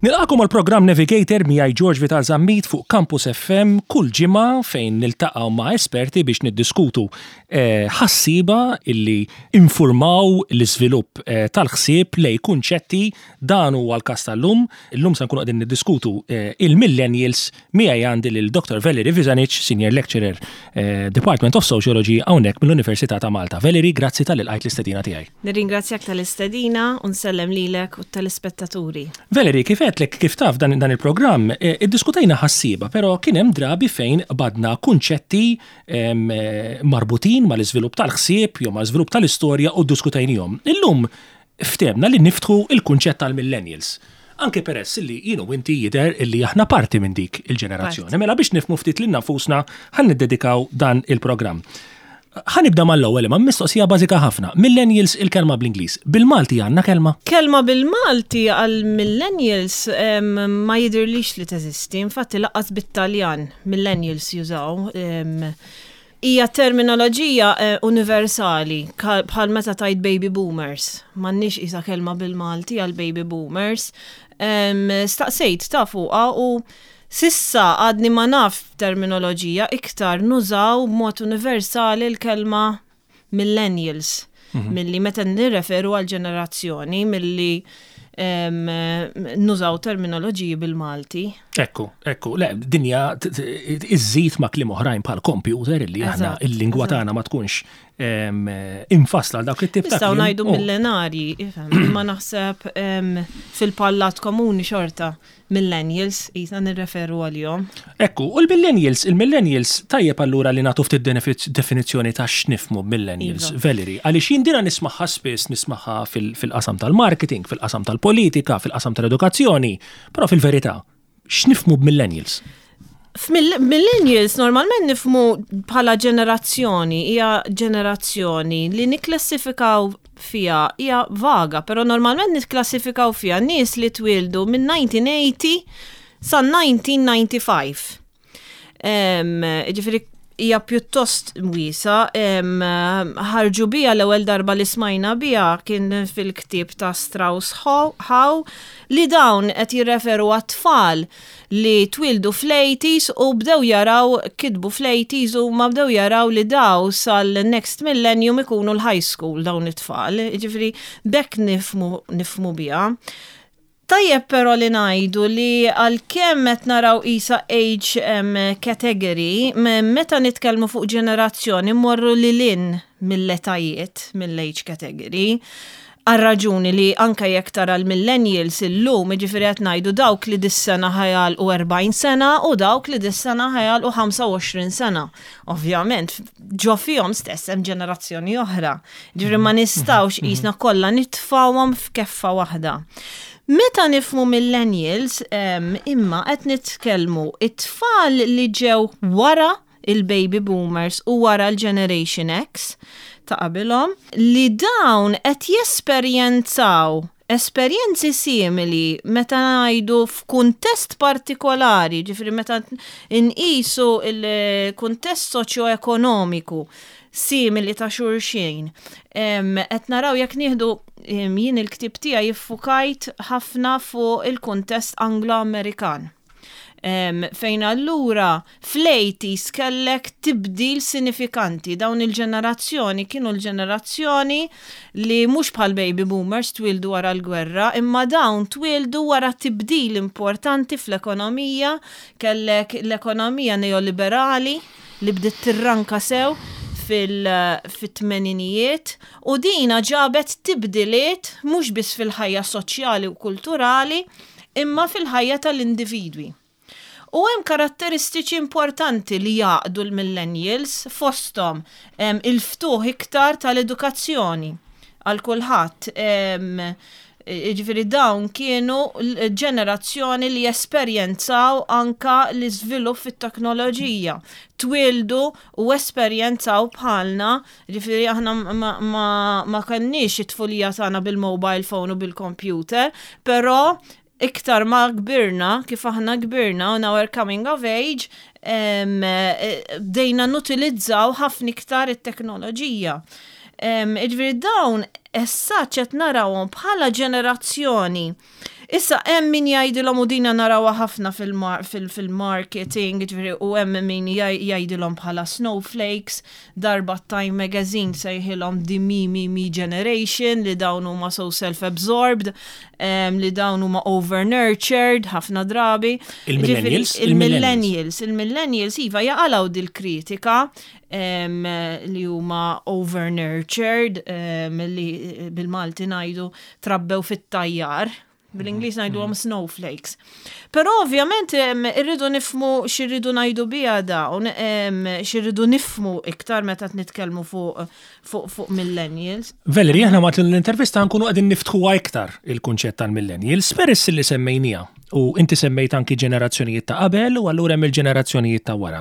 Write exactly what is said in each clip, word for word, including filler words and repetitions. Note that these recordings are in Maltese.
Nilqagħkom għal programm Navigator miegħi George Vital Zammit fuq Campus F M kull ġimgħa, fejn niltaqgħu ma' esperti biex niddiskutu eh, ħassiba illi informaw l-iżvilupp eh, tal-ħsieb lejn kunċetti. Dan huwa l-każ tal-lum. Illum se nkunu qegħdin niddiskutu eh, il-millennials. Miegħi għandi lil Doctor Valerie Vizanic, Senior Lecturer, eh, Department of Sociology, hawnhekk mill-Università ta' Malta. Valerie, grazzi talli lqajt l-istedina tiegħi. Nirringrazzjak tal-istedina u nsellem lilek u tal-ispettaturi. Valerie, kif għedtlek, kif taf, dan, dan il-programm, eh, iddiskutejna ħassiba, però kien hemm drabi fejn badna kunċetti em, eh, marbutin mal-iżvilupp tal-ħsieb jew mal-iżvilupp tal-istorja u ddiskutejnihom. Illum ftehemna li niftħu il-kunċett tal-millennials. Anke peress li jien u inti jidher illi aħna parti minn dik il-ġenerazzjoni. Mela biex nifhmu ftit lilna nfusna ħa niddedikaw dan il-programm. Ħa nibda mal-ewwel ma' mistoqsija bażika ħafna. Millennials, il-kelma bl-Ingliż. Bil-Malti għandna kelma? Kelma bil-Malti għal millennials em, ma jidirlix li teżisti, infatti lanqas bit-Taljan millennials jużaw. em, Hija terminoloġija eh, universali, ka- bħal meta tgħid baby boomers. M'għandniex isa kelma bil-Malti għal baby boomers. Em, Staqsejt ta' fuqha u s'issa għadni ma naf terminoloġija, iktar nużaw b'mod universali l-kelma millennials milli meta nirreferu għal ġenerazzjoni milli em, nużaw terminoloġiji bil-Malti. Ekku, ekku, le, dinja t- t- iżżid ma' kliem oħrajn bħal computer illi aħna Eżatt, il-lingwa eżatt. tagħna ma tkunx em, infasla għal dawk it-tip ta' Nistgħu kliem. ngħidu Oh, millenari, ifhem, imma naħseb em, fil-pallat komuni xorta millennials jisna nirreferu għalihom. Ekku, u l-millennials, il-millennials tajjeb allura li nagħtu ftit definizz- definizzjoni ta' x'nifhmu millennials, Iva. Valerie, għaliex jien dina nismagħha spiss, nismagħha fil- fil-qasam tal-marketing, fil-qasam tal-politika, fil-qasam tal-edukazzjoni, però fil-verità, x'nifhmu b'millennials? F'millennials normalment nifhmu bħala ġenerazzjoni, hija ġenerazzjoni li nikklassifikaw fija, hija vaga, però normalment nikklassifikaw fija nies li twildu minn elf disa' mija u tmenin sa elf disa' mija u disgħa u tmenin. Em, Ġifieri hija pjuttost wiesgħa, em, ħarġu bija l-ewwel darba li smajna bija kien fil-ktieb ta' Strauss Howe, li dawn qed jirreferu għat-tfal li twildu fl-eighties u bdew jaraw, kitbu fl-eighties u ma bdew jaraw li daw sal-next millennium ikunu l-high school dawn it-tfal. Ġifieri bekk nifhmu, nifhmu bija. Tajjeb però li ngħidu li għalkemm qed naraw isa age um, category, me- meta nitkellmu fuq ġenerazzjoni morru lil hinn mill-etajiet, mill-age category, għal-raġuni li anka jekk tara l-millennials illum, ġifieri qed ngħidu dawk li dis-sena ħa jagħlqu erbgħin sena u dawk li dis-sena ħa jagħlqu ħamsa u għoxrin sena. Ovvjament, ġo fihom stess hemm ġenerazzjoni oħra. Ġifieri ma nistgħux qisna kollha nitfawhom f'keffa waħda. Meta nifhmu millennials, em, imma qed nitkellmu it-tfal li ġew wara il-baby boomers u wara l-Generation X ta' qabilhom, li dawn qed jesperjenzaw esperjenzi simili meta ngħidu f'kuntest partikolari, ġifieri meta nqisu il-kuntest soċjo-ekonomiku simili ta' xulxin. Em, Qed naraw jekk nieħdu em, jien il-ktib tiegħi jiffukajt ħafna fuq il-kuntest Anglo-Amerikan. Em, fejn allura fl-eighties kellek tibdil sinifikanti. Dawn il-ġenerazzjoni kienu l-ġenerazzjoni li mhux bħal baby boomers twildu wara l-gwerra, imma dawn twildu wara tibdil importanti fl-ekonomija, kellek l-ekonomija neoliberali li bdiet tirranka sew fil-tmeninijiet u dina ġabet tibdiliet mhux biss fil-ħajja soċjali u kulturali imma fil-ħajja tal-individwi. U hemm karatteristiċi importanti li jgħaqqdu l-millennials, fosthom em, il-ftuħ iktar tal-edukazzjoni għal kulħadd. Em, Ġifieri dawn kienu l-ġenerazzjoni li esperjenzaw anka l-iżvilupp fit-teknoloġija. Twildu u esperjenzaw bħalna, ġifieri aħna ma, ma, ma kenniex it-tfulija tagħna bil-mobile phone u bil-computer, però iktar ma kbirna, kif aħna kbirna, on our coming of age, em, eh, bdejna nutilizzaw ħafna iktar it-teknoloġija. Ġifieri dawn issa qed narawhom bħala ġenerazzjoni Issa hemm min jgħidilhom, u dina narawha ħafna fil-marketing, ġifieri, u hemm min jgħidilhom bħala snowflakes, darba Time Magazine sejħilhom the me, me, me generation, li dawn huma so self-absorbed, li dawn huma over-nurtured ħafna drabi. Il-millennials? Il-millennials, il-millennials, iva, jaqalgħu dil-kritika li huma over-nurtured, li bil-Malti ngħidu trabbew fit-tajjar. Bil-Ingliż ngħidu għom snowflakes. Però ovvjament irridu nifhmu x'irridu ngħidu biha dawn, x'irridu nifhmu iktar meta nitkellmu fuq fuq fuq millennials. Valerie, aħna matul l-intervista nkunu qegħdin niftħuha iktar il-kunċett tal-millennials, peress li semmejnija u inti semmejt anki ġenerazzjonijiet ta' qabel u allura hemm il-ġenerazzjonijiet ta' wara.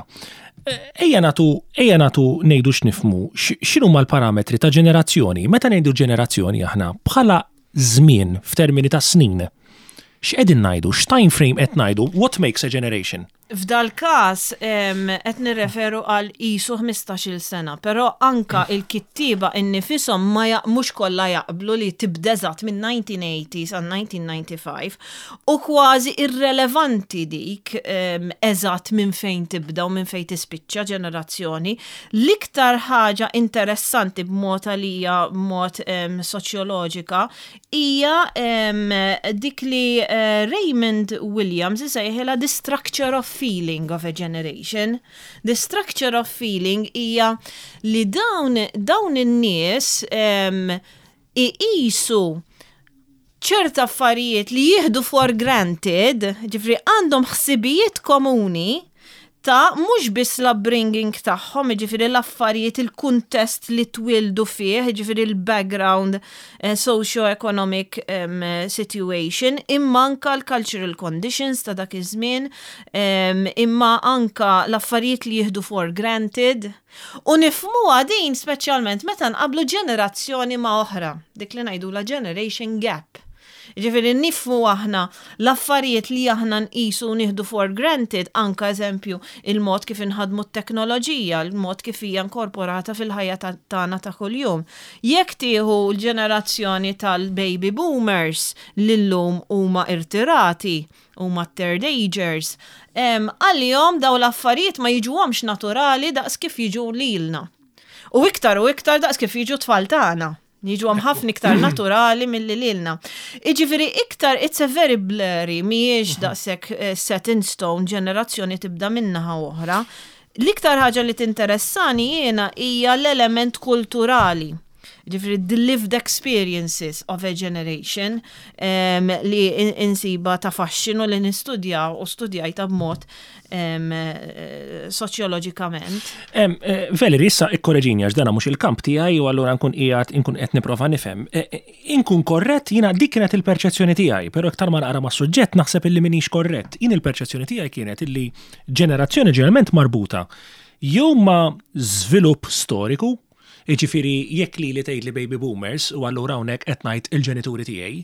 Ejja nagħtu, ejja nagħtu ngħidu x'nifhmu, x'inhuma l-parametri ta' ġenerazzjoni? Meta ngħidu ġenerazzjoni aħna bħala żmien f'termini ta' snin, x'qegħdin ngħidu, x'time frame qed ngħidu, what makes a generation? F'dal każ qed nirreferu għal isu ħmistax-il sena, però anka il-kittiba innifisom ma mhux kollha jaqblu li tibda eżatt minn elf disa' mija u tmenin sa elf disa' mija u disgħa u disgħin u kważi irrelevanti dik eżatt minn fejn tibda u minn fejn tispiċċa ġenerazzjoni. L-iktar ħaġa interessanti b'mod għalija, b'mod soċjoloġika, hija dik li eh, Raymond Williams isejħilha the structure of feeling of a generation. The structure of feeling hija li dawn, dawn in-nies um, iqisu ċerta affarijiet li jieħdu for granted, ġifieri għandhom ħsibijiet komuni ta' mhux biss l-upbringing tagħhom, ġifieri l-affarijiet, il-kuntest li twildu fih, ġifieri l-background eh, socio-economic um, situation, imma anka l-cultural conditions ta' dak iż-żmien, um, imma anka l-affarijiet li jieħdu for granted. U nifhmuha din speċjalment meta nqablu ġenerazzjoni ma' oħra, dik li ngħidu la generation gap. Ġifieri nifhmu aħna l-affarijiet li aħna nqisu u nieħdu for granted, anka eżempju il-mod kif inħadmu t-teknoloġija, il-mod kif hija inkorporata fil-ħajja tagħna ta' kuljum. Jekk tieħu l-ġenerazzjoni tal-baby boomers li llum huma irtirati, huma third agers, għalihom daw l-affarijiet ma jiġuhomx naturali daqs kif jiġu lilna. U iktar u iktar daqs kif jiġu tfal tagħna. Jiġu għam ħafna iktar naturali milli lilna. Iġifieri iktar, it's a very blurry, mhijiex daqshekk eh, set in stone, ġenerazzjoni tibda minn naħa oħra. L-iktar ħaġa li tinteressani jiena hija l-element kulturali. Ġifieri the lived experiences of a generation um, li insiba ta' faxxinu li nistudja u studjajta b'mod um, soċjoloġikament. Um, Valerie, issa ikkoreġini għax dana mhux il-kamp tiegħi u allura nkun qiegħed inkun qed nipprova nifhem. Inkun korrett, jiena dik kienet il-perċezzjoni tiegħi, però iktar ma naqra mas-suġġett naħseb illi minix korrett. Jien il-perċezzjoni tiegħi kienet illi ġenerazzjoni ġeneralment marbuta jew ma' żvilupp storiku, jiġifieri jekk li li tgħid li baby boomers u allura hawnhekk qed ngħid il-ġenituri tiegħi,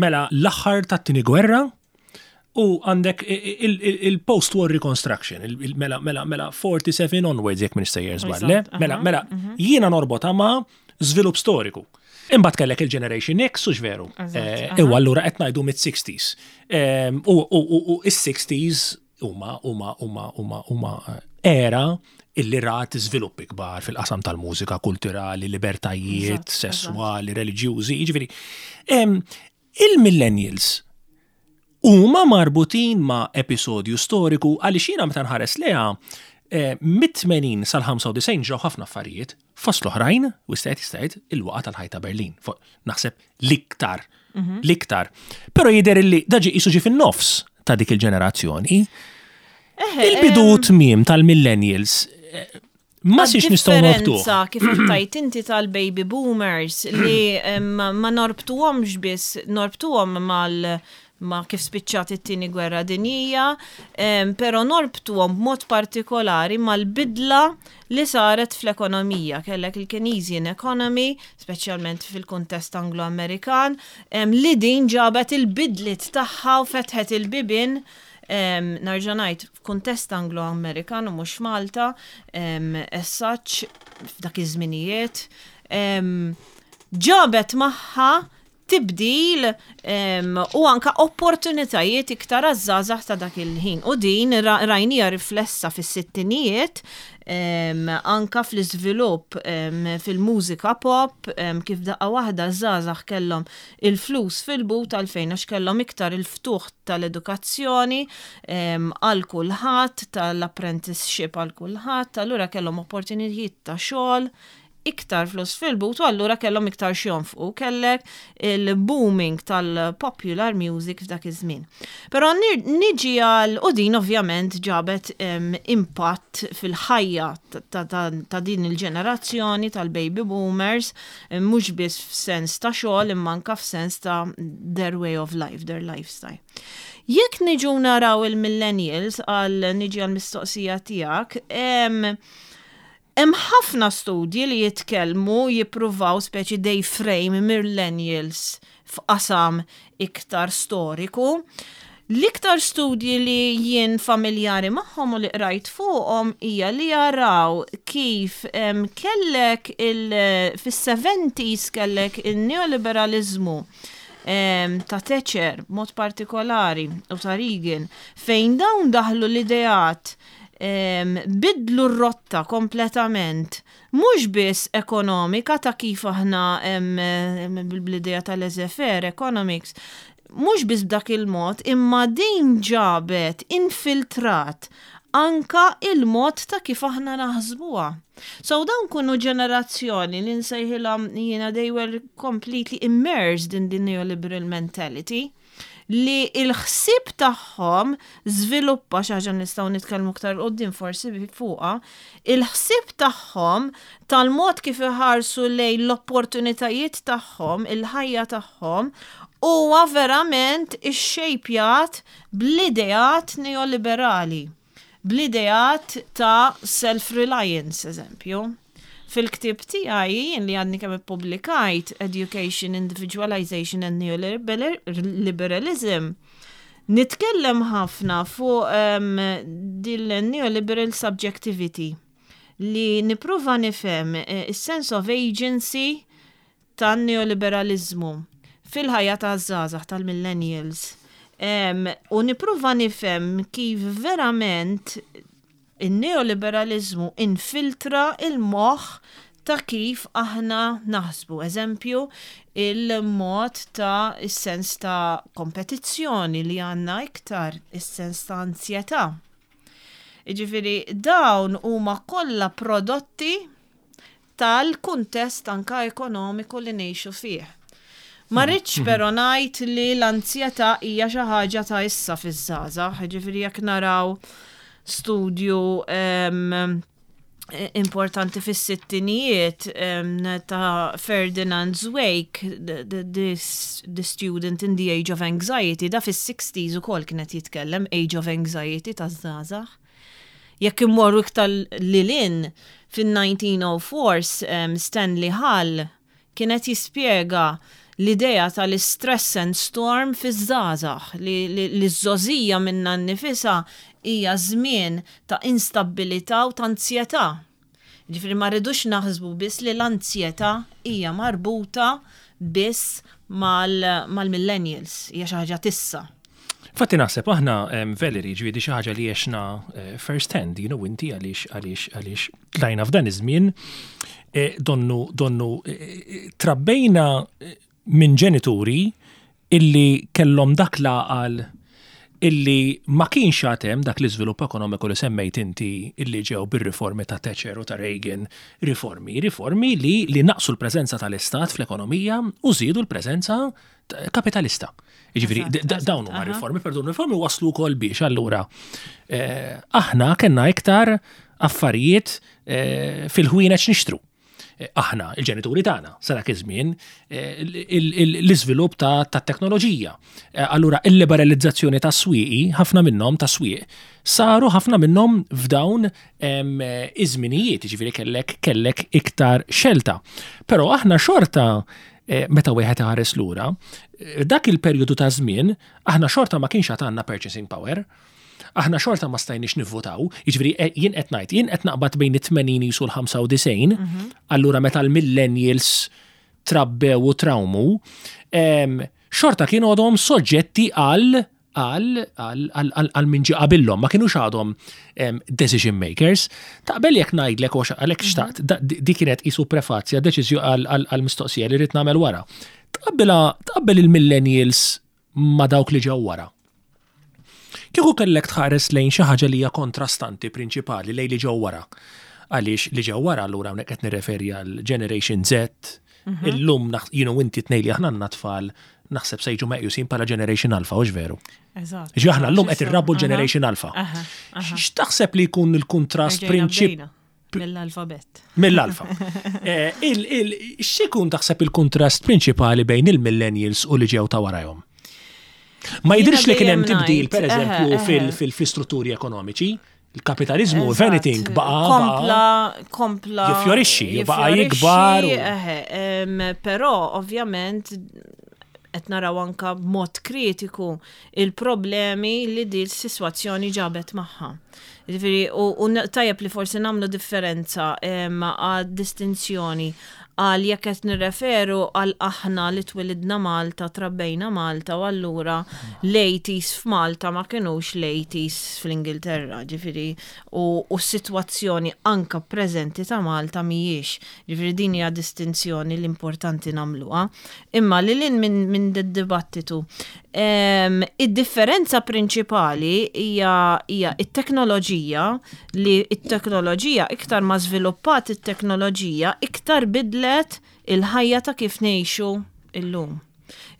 mela l-aħħar tat-tieni gwerra u għandek il-post-war reconstruction, mela mela mela erbgħa u erbgħin onwards, jekk minn sejjer żball, mela mela jiena norbotha ma' żvilupp storiku. Imbagħad kellek il-Generation X, u veru. U allura qed ngħidu mid-sixties. U is-sixties huma huma huma huma huma era illi rat żviluppi kbar fil-qasam tal-mużika, kulturali, libertajiet, sessuali, reliġjużi, jiġifieri. Il-millennials huma marbutin ma' episodju storiku, għaliex jiena meta nħares leha mit-tmenin sal-ħamsa u disgħin ġew ħafna affarijiet, fost l-oħrajn, u istajt istajt il-waqa tal-ħajt ta' Berlin. Naħseb l-iktar, l-iktar. Però jidher illi dan ġie qisu ġie fin-nofs ta' dik il-ġenerazzjoni. Il-bidu tmiem tal-millennials ma six nistgħu norbtu. Differenza kif tajt inti tal-baby boomers li ma norbtuhomx biss, norbtuhom mal ma kif spiċċat it-tieni gwerra dinjija, però norbtuhom b'mod partikolari mal-bidla li saret fl-ekonomija. Kellek il-Keynesian economy, speċjalment fil-kuntest Anglo-Amerikan, li din ġabet il-bidliet tagħha u fetħet il-bibin. Nerġa' ngħid, f'kuntest Anglo-Amerikan u mhux Malta, as such, f'dak iż-żminijiet, ġabet magħha Tibdil u anka opportunitajiet iktar għaż-żgħażagħ ta' dak il-ħin. U din rajnieha riflessa fis-sittinijiet, anka fl-iżvilupp fil-mużika pop, kif daqqa waħda żgħażagħ kellhom il-flus fil-but, għalfejn? Għax kellhom iktar il-ftuħ tal-edukazzjoni għal kulħadd, tal-apprenticeship għal kulħadd, allura kellhom opportunitajiet ta' xogħol, iktar flus fil-but, u allura kellhom iktar x'jonfqu. Kellek il-booming tal-popular music f'dak iż-żmien. Però niġi għal, u din ovvjament ġabet impatt fil-ħajja ta' din il-ġenerazzjoni tal-baby boomers, mhux biss f'sens ta' xogħol imma anka f'sens ta' their way of life, their lifestyle. Jekk niġu naraw il-millennials, għal niġi għal mistoqsija tiegħek, hemm ħafna studji li jitkellmu, jippruvaw speċi they frame millennials f'qasam iktar storiku. L-iktar studji li jien familjari magħhom u li qrajt fuqhom hija li jaraw kif em, kellek il fis-seventies kellek il-neoliberalizmu em, ta' Thatcher mod partikolari u ta' Reagan, fejn dawn daħlu l-ideat, em, bidlu r-rotta kompletament, mhux biss ekonomika ta' kif aħna em, em, bl-idea tal-laissez-faire economics, mhux biss b'dak il-mod, imma din ġabet infiltrat anka il-mod ta' kif aħna naħsbuha. So dawn kienu ġenerazzjoni li nsejħilhom jiena they were completely immersed in the neoliberal mentality, li il-ħsieb tagħhom żviluppa, xi ħaġa nistgħu nitkellmu aktar quddiem forsi fuqha, il-ħsieb tagħhom tal-mod kif iħarsu lejn l-opportunitajiet tagħhom, il-ħajja tagħhom, huwa verament ixxejpjat bl-ideat neoliberali, bl-ideat ta' self-reliance, eżempju. Fil-ktib tiegħi jien li għadni kemm ippubblikajt, Education, Individualization and Neoliberalism, nitkellem ħafna fuq um, dil-neoliberal subjectivity li nipprova nifhem eh, is-sense of agency tan-neoliberalizmu fil-ħajja ta' żgħażagħ tal-millennials. Um, u nipprova nifhem kif verament il-neoliberalizmu infiltra il-moħ ta' kif aħna naħsbu. Eżempju, il-mod ta' il-sens ta' kompetizzjoni li għanna iktar, il-sens ta' ansjetà. Iġifiri, dawn huma kollha prodotti tal-kuntest anka ekonomiku li ngħixu fih. Ma rridx però ngħid li l-ansjetà hija xi ħaġa ta' issa fiż-żgħażagħ, jiġifieri jekk naraw studju em, importanti fis-sittinijiet em, ta' Ferdinand Zweig, the, the, the, the Student in the Age of Anxiety, da fis-sixties ukoll kienet jitkellem Age of Anxiety ta' żgħażagħ. Jekk immorru iktar lil hinn fin-elf disa' mija u erbgħa um, Stanley Hull kienet jispjega l-idea tal-stress and storm fiż-żgħażagħ, li li ż-żgħożija minnha nnifisha hija żmien ta' instabilità u ta' ansjetà. Ġifieri ma rridux naħsbu biss li l-ansjetà hija marbuta biss mal-millennials, hija xi ħaġa t'issa. Fatti naħseb aħna em, Valerie, ġifieri xi ħaġa li għexna eh, first hand, you know, inti għaliex għaliex għaliex tlajna f'dan iż-żmien, eh, donnu donnu eh, trabbejna eh, minn ġenituri illi kellhom dak l-għaqal illi ma kienx għatem dak l-iżvilupp ekonomiku li semmejt inti illi ġew bir-riformi ta' Thatcher u ta' Reagan, riformi, riformi li, li naqsu l-preżenza tal-Istat fl-ekonomija u żiedu l-preżenza kapitalista. Jiġifieri, Eżatt, d- dawn huma aha. riformi, per dawn riformi waslu wkoll biex allura eh, aħna kellna iktar affarijiet eh, fil-ħwienet nixtru. Eh, Aħna, il-ġenituri tagħna, sa dak iż-żmien, eh, il- il- l-iżvilupp ta' ta' teknoloġija. Eh, Allura il-liberalizzazzjoni ta' swieqi, ħafna minnhom ta' swieq, saru ħafna minnhom f'dawn em, eh, iż-żminijiet, jiġifieri kellek kellek iktar xelta. Però aħna xorta eh, meta wieħed iħares lura, eh, dak il-perjodu ta' żmien aħna xorta ma kienx għad għandna purchasing power. Aħna xorta ma stajniex nivvotaw, jiġifieri eh, jien qed ngħid, jien qed naqbad bejn it-tmenin u l-ħamsa u disgħin, allura meta l-millennials Trabbew u trawmu, em, xorta kienu għadhom soġġetti għal għal għal għal għal għal min ġie qabilhom, ma kienux għadhom em, decision makers. Taqbel jekk ngħidlek u għalhekk xtaqt, da- di di kienet qisu prefazja deċiżju għal għal għal mistoqsija li rrid nagħmel wara. Tqabbela tqabbel il-millennials ma dawk li ġew wara. Kieku kellek tħares lejn xi ħaġa li hija kontrastanti prinċipali lejn li ġew wara. Għaliex li ġew wara, allura hawnhekk qed nirreferi għal Generation Z, illum naħ- you know inti tnejn li aħna għandna tfal, naħseb se jiġu meqjusin bħala Generation Alpha, hux veru? Eżatt. Ġi aħna llum qed irrabbu l-Generation Alpha. Aha, aha. X'taħseb li jkun il-kontrast Erġajna prinċip bdejna mill-alfabet. Mill-alfa. Eh, il- il- X'ikun taħseb il-kontrast prinċipali bejn il-millennials u li ġew ta' warajhom? Ma jidhirx li kien hemm dejjem tibdil, ngħid, per eżempju, eħe, eħe. fil- fil-istrutturi ekonomiċi, il-kapitalizmu, if Eżatt. anything, baqa' Kompla, kompla. Jifjorixxi, baqa' jifjorixxi, jikbar u- eħe, em, Però, ovvjament, qed naraw anka b'mod kritiku il-problemi li di s-sitwazzjoni ġabet magħha. Ġifieri, u, u tajjeb li forsi nagħmlu differenza em, għad distinzjoni għal jekk qed nirreferu għal aħna li twilidna Malta, trabbejna Malta u allura l-eighties f'Malta ma kinux l-eighties fl-Ingilterra, ġifieri, u, u s-sitwazzjoni anka preżenti ta' Malta mhijiex. Ġifieri din hija distinzjoni li importanti nagħmluha. Imma li lin minn min dibattitu. Em, Id-differenza prinċipali hija hija it-teknoloġija, li it-teknoloġija, iktar ma żviluppat it-teknoloġija, iktar bidlet il-ħajja ta' kif ngħixu illum.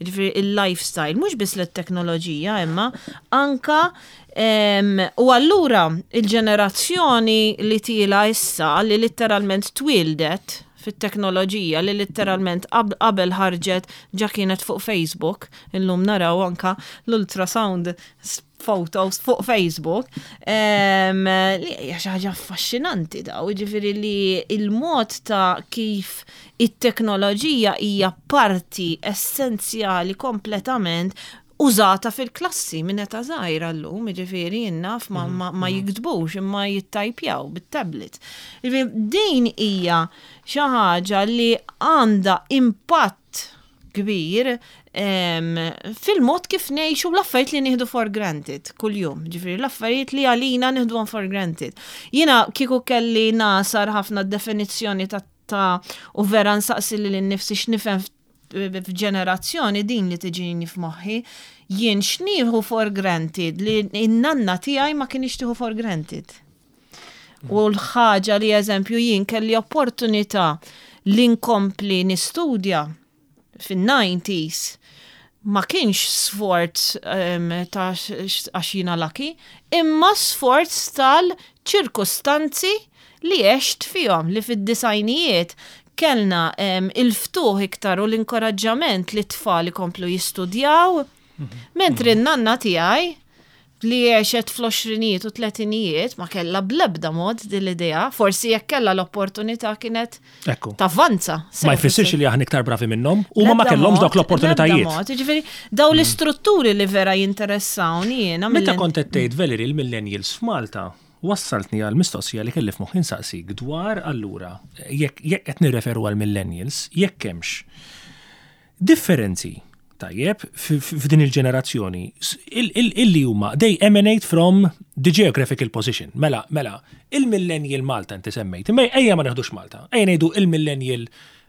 Ġifieri il-lifestyle, mhux biss l-teknoloġija, imma anka em, u allura il-ġenerazzjoni li tila issa, li letteralment twildet fit-teknoloġija, li letteralment qab- qabel ħarġet ġa kienet fuq Facebook, illum naraw anka l-ultrasound s- photos fuq Facebook, em, li hija xi ħaġa affaxxinanti daw, ġifieri li il-mod ta' kif it-teknoloġija hija parti essenzjali, kompletament użata fil-klassi minn età żgħira llum, ġifieri jinnaf ma, ma, ma jiktbux imma jittajpjaw bit-tablet. Ġifieri din hija xi ħaġa li għandha impatt kbir em, fil-mod kif ngħixu, l-affarijiet li nieħdu for granted kuljum, ġifieri l-affarijiet li għalina nieħduhom for granted. Jiena kieku kelli nasar ħafna definizzjoni ta' ta' u vera nsaqsi lili nnifsi x'nifhem f'ġenerazzjoni, din li tiġini f'moħħi, jien x'nieħu for granted li in-nanna tiegħi ma kienx tieħu for granted. U l-ħaġa li, eżempju, jien kelli opportunità li nkompli nistudja fin-nineties ma kienx sforz um, ta' x- għax jiena lucky, imma sforz tal-ċirkustanzi li għext fihom, li fid-disgħinijiet kellna um, il-ftuħ iktar u l-inkoraġġament li t-tfal ikomplu jistudjaw, mentri n-nanna tiegħi li għexet fl-għoxrinijiet u tletinijiet ma kella blebda mod din l-idea, forsi jekk kella l-opportunità kienet Ekku. tavvanza. Ma jfissirx li aħna iktar bravi minnhom u ma ma kellhomx dawk l-opportunitajiet. Ġifieri, daw l-istrutturi li vera jinteressawni jiena. Meta mill- kont qed tgħid, Valerie, il-millennials f'Malta, wassaltni għal mistoqsija li kelli f'moħħi nsaqsik dwar allura jekk jekk qed nirreferu għal millennials, jekk hemmx differenzi, tajjeb, f- f- f'din il-ġenerazzjoni s- il- il- illi huma they emanate from the geographical position. Mela, mela, il-millennial Malta inti semmejt, imma ejja ma neħdux Malta, ejja ngħidu il-millennial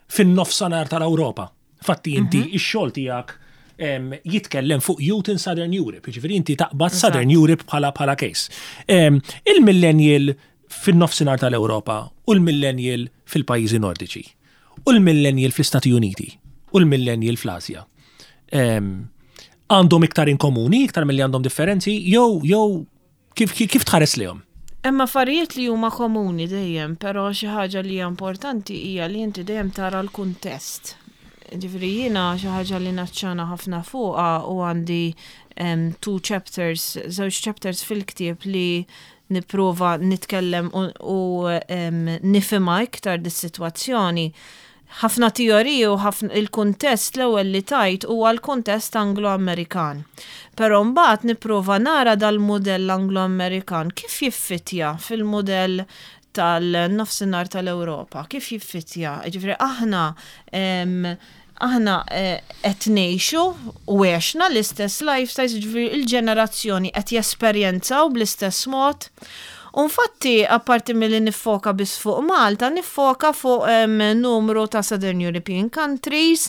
fin-nofsanhar tal-Ewropa. Fatti inti ix-xogħol tiegħek em, jitkellem fuq Youth in Southern Europe, jiġifieri inti taqbad Southern Europe bħala bħala case. Em, Il-millennial fin-nofsinhar tal-Ewropa u l-millennial fil-pajjiżi Nordiċi u l-millennial fl-Istati Uniti u l-millennial fl-Asja. Em, Għandhom iktar in komuni, iktar milli għandhom differenzi, jew jew kif, kif, kif tħares lihom? Hemm affarijiet li huma komuni dejjem, però xi ħaġa li hija importanti hija li inti dejjem tara l-kuntest. Ġifieri jiena xi ħaġa li naċċana ħafna fuqha u għandi um, two chapters, żewġ chapters fil-ktieb li nipprova nitkellem u, u um, nifhimha iktar dis-sitwazzjoni. Ħafna teoriji u ħafna il-kuntest, l-ewwel li tajt huwa l-kuntest Anglo-Amerikan. Però mbagħad nipprova nara dal-mudell Anglo-Amerikan kif jiffitja fil-mudell tal-nofsinhar tal-Ewropa, kif jiffitja. Ġifieri aħna em, Aħna eh, qed ngħixu u għexna l-istess lifestyles, ġifieri il-ġenerazzjoni qed jesperjenzaw bl-istess mod. U infatti, apparti milli niffoka biss fuq Malta, niffoka fuq em, numru ta' Southern European countries,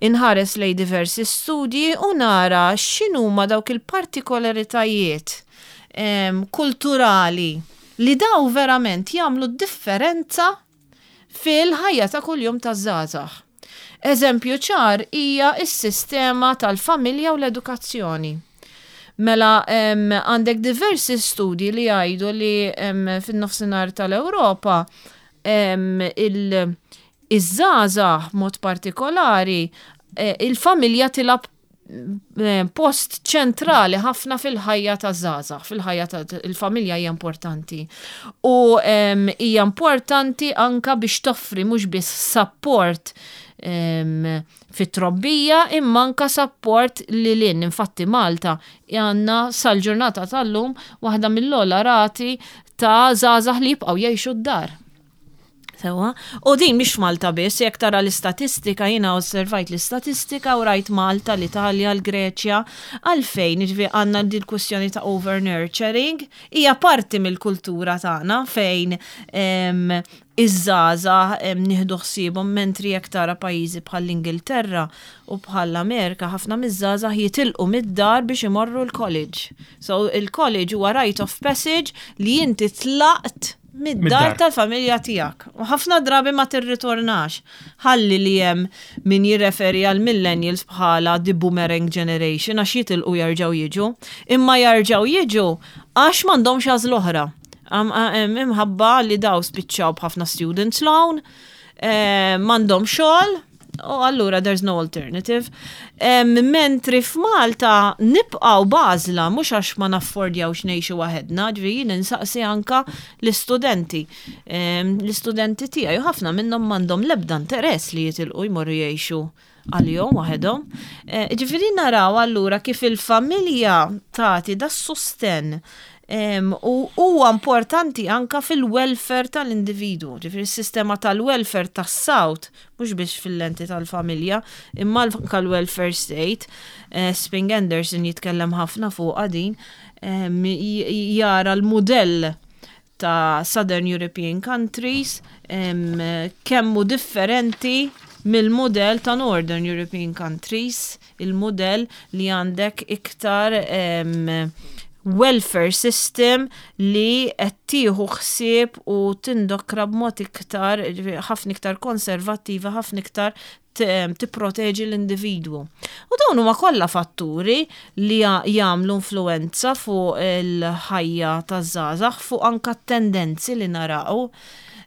inħares lej diversi studji u nara x'inhuma dawk il-partikolaritajiet em, kulturali li daw verament jagħmlu differenza fil-ħajja ta' kuljum ta' żgħażagħ. Eżempju ċar hija s-sistema tal-familja u l-edukazzjoni. Mela em, għandek diversi studji li jgħidu li em, fin-nofsinhar tal-Ewropa em, il- iż-żgħażagħ mod partikolari eh, il-familja tilgħab eh, post ċentrali ħafna fil-ħajja ta' żgħażagħ, fil-ħajja ta' il-familja hija importanti. U em, hija importanti anka biex toffri mhux biss support em, fit-trobbija imma anka support li lin. Infatti Malta għandna sal-ġurnata tal-lum waħda mill-ogħla rati ta' żgħażagħ li jibqgħu jgħixu d-dar. Sewa. U din mhix Malta biss, jekk tara l-istatistika, jiena osservajt l-istatistika u rajt Malta, l-Italja, l-Greċja, għalfejn ġifieri għandna din kwestjoni ta' over nurturing, hija parti mill-kultura tagħna fejn em, iż-żgħażagħ em, nieħdu ħsiebhom, mentri jekk tara pajjiżi bħall-Ingilterra u bħall-Amerika, ħafna miż-żgħażagħ jitilqu mid-dar biex imorru l-college. So il-college huwa rite of passage li inti tlaqt mid-dar Mid-dar. tal-familja tiegħek. U ħafna drabi ma tirritornax. Ħalli li hemm min jirreferi għal millennials bħala the boomerang generation għax jitilqu jarġaw jiġu. Imma jarġaw jiġu għax m'għandhomx għażla oħra. Am- am- Imħabba li daw spiċċaw b'ħafna students loan, eh, m'għandhom xogħol, u allura there's no alternative. Em, Mentri f'Malta nibqaw bażla, mhux għax ma naffordjawx ngħixu waħedna, ġifieri jien insaqsi anka l-istudenti. Em, L-istudenti tiegħi u ħafna minnhom m'għandhom l-ebda interess li jitilqu jmorru jgħixu għalihom waħedhom. Eh, Ġifieri naraw allura kif il-familja tagħti da sosten em, u huwa importanti anka fil-welfare tal-individu. Ġifieri s-sistema tal-welfare tas-South, mhux biex fil-lenti tal-familja, imma anka l-welfare state. Eh, Esping Anderson jitkellem ħafna fuq din, em, j- jara l-modell ta' Southern European countries em, kemmu differenti mill-modell ta' Northern European countries, il-modell li għandek iktar em, welfare system li qed tieħu ħsieb u tindokra b'mod iktar, ħafna iktar konservattiva, ħafna iktar t- tipproteġi l-individwu. U dawn huma kollha fatturi li ja- jagħmlu influenza fuq il-ħajja taż-żgħażagħ, fuq anka t-tendenzi li naraw.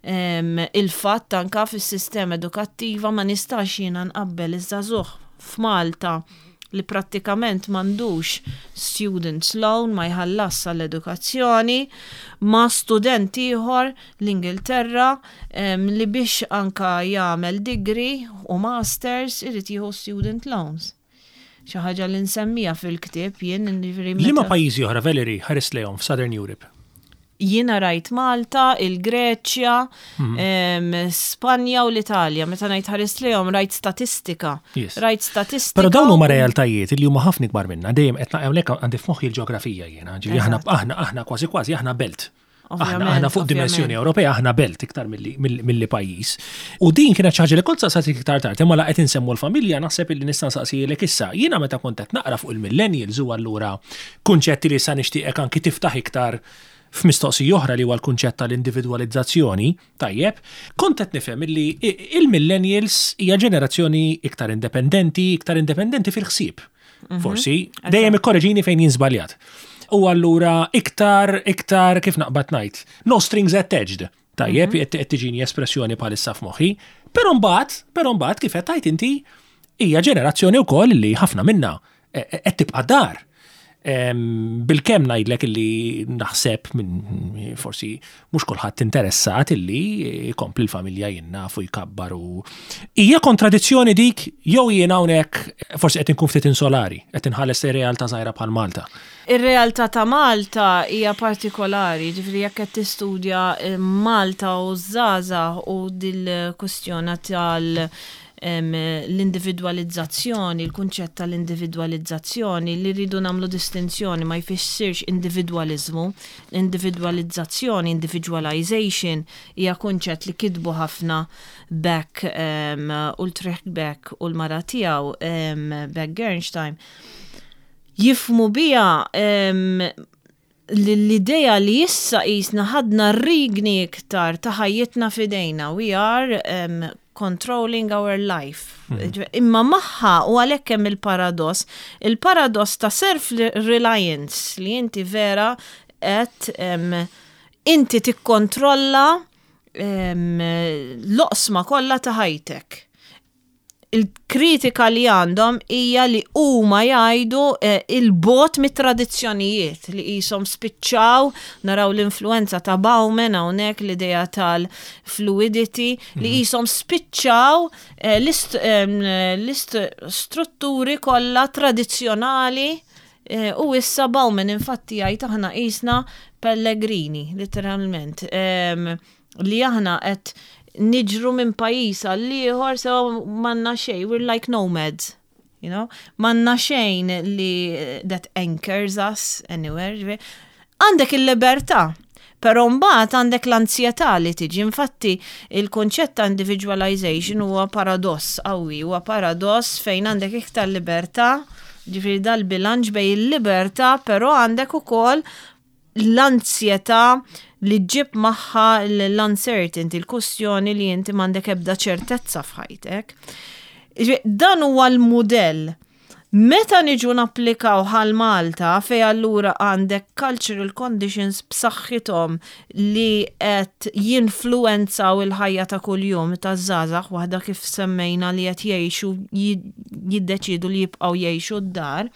Em, Il-fatt anka fis-sistema edukattiva ma nistax jiena nqabbel iż-żagħżugħ f'Malta li prattikament m'għandux students loan, ma jħallas għall-edukazzjoni, ma student ieħor l-Ingilterra em, li biex anka jagħmel degree u masters irid jieħu student loans. Xi ħaġa li nsemmija fil-ktieb jien, ġifieri Liema meta- pajjiżi oħra, Valerie, ħarist lejhom f'Southern Europe? Jiena rajt Malta, il-Greċja, em, Spanja u l-Italja. Meta ngħid ħarist lejhom, rajt statistika. Yes. Rajt statistika. Però dawn huma realtajiet li huma ħafna ikbar minna, dejjem qed hawnhekk għandi f'moħħi l-ġeografija jiena, ġifieri aħna aħna aħna kważi kważi aħna belt. Aħna Ovvjament, aħna fuq dimensjoni ovvjament. Ewropea aħna belt iktar milli milli milli pajjiż. U din kienet xi ħaġa li kont saqsajtek iktar tard, imma la qed insemmu l-familja naħseb illi nista' nsaqsilek issa. Jiena meta kont qed naqra fuq il-millennials u allura kunċetti li sa nixtieqek anki tiftaħ iktar f'mistoqsija oħra li huwa l-kunċett tal-individwalizzazzjoni, tajjeb, kont qed nifhem illi il-millennials hija ġenerazzjoni iktar indipendenti, iktar indipendenti fil-ħsieb. Forsi, dejjem ikkoreġini fejn jien żbaljat. U allura iktar, iktar kif naqbad ngħid, no strings attached. Tajjeb, qed qed tiġini espressjoni bħalissa f'moħħi. Però mbagħad, però mbagħad kif qed tgħid inti, hija ġenerazzjoni wkoll li ħafna minna eh, qed tibqa' dar. Em, Bilkemm ngħidlek illi naħseb minn forsi mhux kulħadd interessat illi jkompli l-familja jinnafu jkabbar u hija kontradizzjoni dik jew jien hawnhekk forsi qed inkun ftit insolari, qed inħalles realtà żgħira bħal Malta? Ir-realtà ta' Malta hija partikolari, ġifieri jekk qed tistudja eh, Malta u żgħażagħ u dil-kwestjoni tal L-individwalizzazzjoni, il-kunċett tal-individwalizzazzjoni li rridu nagħmlu distinzjoni, ma jfissirx individwaliżmu. Individwalizzazzjoni, individualization, hija kunċett li kitbu ħafna Beck, um, Ulrich Beck u l-mara tiegħu um, Beck Gernsheim. Jifhmu biha um, l-idea li issa qisna ħadna r-riedni iktar ta' ħajjitna f'idejna. We are um, controlling our life. Mm. Imma magħha u għalhekk hemm il-paradoss, il-paradoss ta' self-reliance li inti vera qed um, inti tikkontrolla um, l-oqsma kollha ta' ħajtek. Il-kritika li għandhom hija li huma jgħidu eh, il-bogħod mit-tradizzjonijiet li qishom spiċċaw. Naraw l-influenza ta' Bauman hawnhekk, l-idea tal-fluidity li mhm. qishom spiċċaw eh, l-istrutturi kollha tradizzjonali eh, u issa Bauman infatti jgħid aħna qisna pellegrini, literalment, li aħna qed niġru minn pajjiż għal ieħor, so m'għandna xejn, we're like nomads. You know? M'għandna xejn li that anchors us anywhere. Għandek il-libertà, pero mbagħad għandek l-ansjetà li tiġi. Infatti, il-konċett ta' individualization huwa paradoss qawwi, huwa paradoss fejn għandek iktar libertà, ġifieri dal-bilanċ bejn il-libertà, però għandek ukoll l-ansjetà li ġġib magħha l-uncertainty, il-kwistjoni li inti m'għandek ebda ċertezza f'ħajtek. Dan huwa l-modell. Meta niġu napplikaw għal Malta, fej allura għandek cultural conditions b'saħħithom li qed jinfluenzaw il-ħajja ta' kuljum ta' żgħażagħ, waħda kif semmejna li qed jgħixu, jiddeċidu li jibqgħu jgħixu d-dar.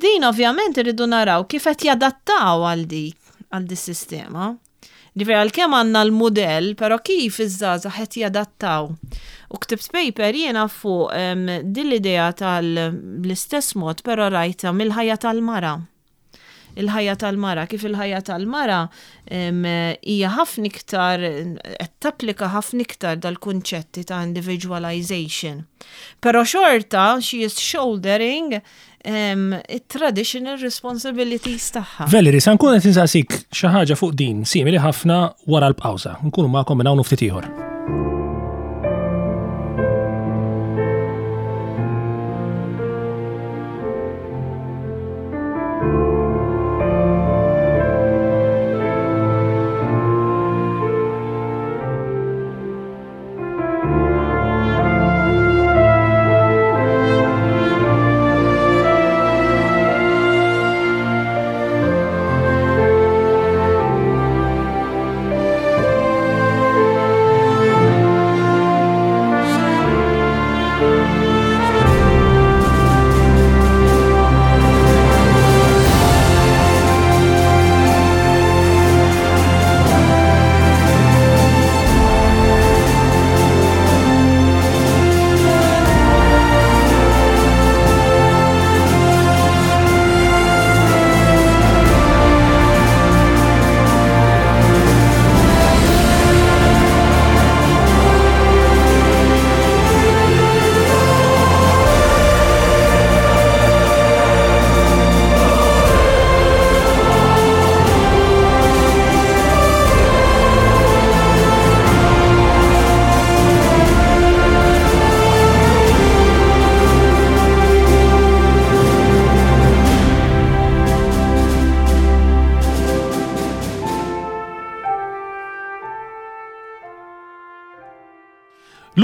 Din ovvjament irridu naraw kif qed jadattaw għal dik għal dis-sistema. Ġifieri għalkemm għandna l-modell, però kif iż-żgħażagħ qed jadattaw. U ktibt paper jiena fuq um, din l-idea tal-istess mod, però rajta mill-ħajja tal-mara. Il-ħajja tal-mara, kif il-ħajja tal-mara hija ħafna iktar qed tapplika ħafna iktar dal-kunċetti ta' individualization. Però xorta she is shouldering um, traditional responsibilities tagħha. Valerie, sa nkun qed insaqsik xi ħaġa fuq din simili ħafna wara l-pawża. Nkunu magħkom minn hawn ftit ieħor.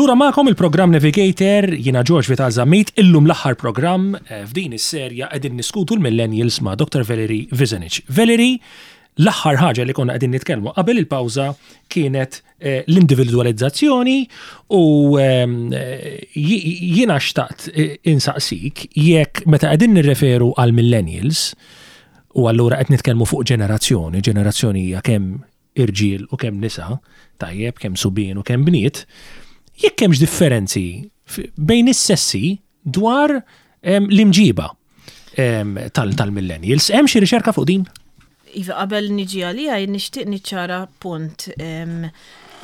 Lura magħkom il-programm Navigator, jiena George Vital Zammit, illum l-aħħar programm eh, f'din is-serja qegħdin niskutu l-Millennials ma' Doctor Valerie Vizenich. Valerie, l-aħħar ħaġa li konna qegħdin nitkellmu qabel il-pawża kienet eh, l-individualizzazzjoni u ehm, eh, jiena xtaqt insaqsik jekk meta qegħdin nirreferu għal millennials u allura qed nitkellmu fuq ġenerazzjoni, ġenerazzjoni hija kemm irġiel u kemm nisa, tajjeb, kemm subien u kemm bniet, jekk hemmx differenzi bejn is-sessi dwar l-imġiba tal-millennials. Hemm xi riċerka fuq din? Iva, qabel niġi għalija, nixtieq niċċara punt.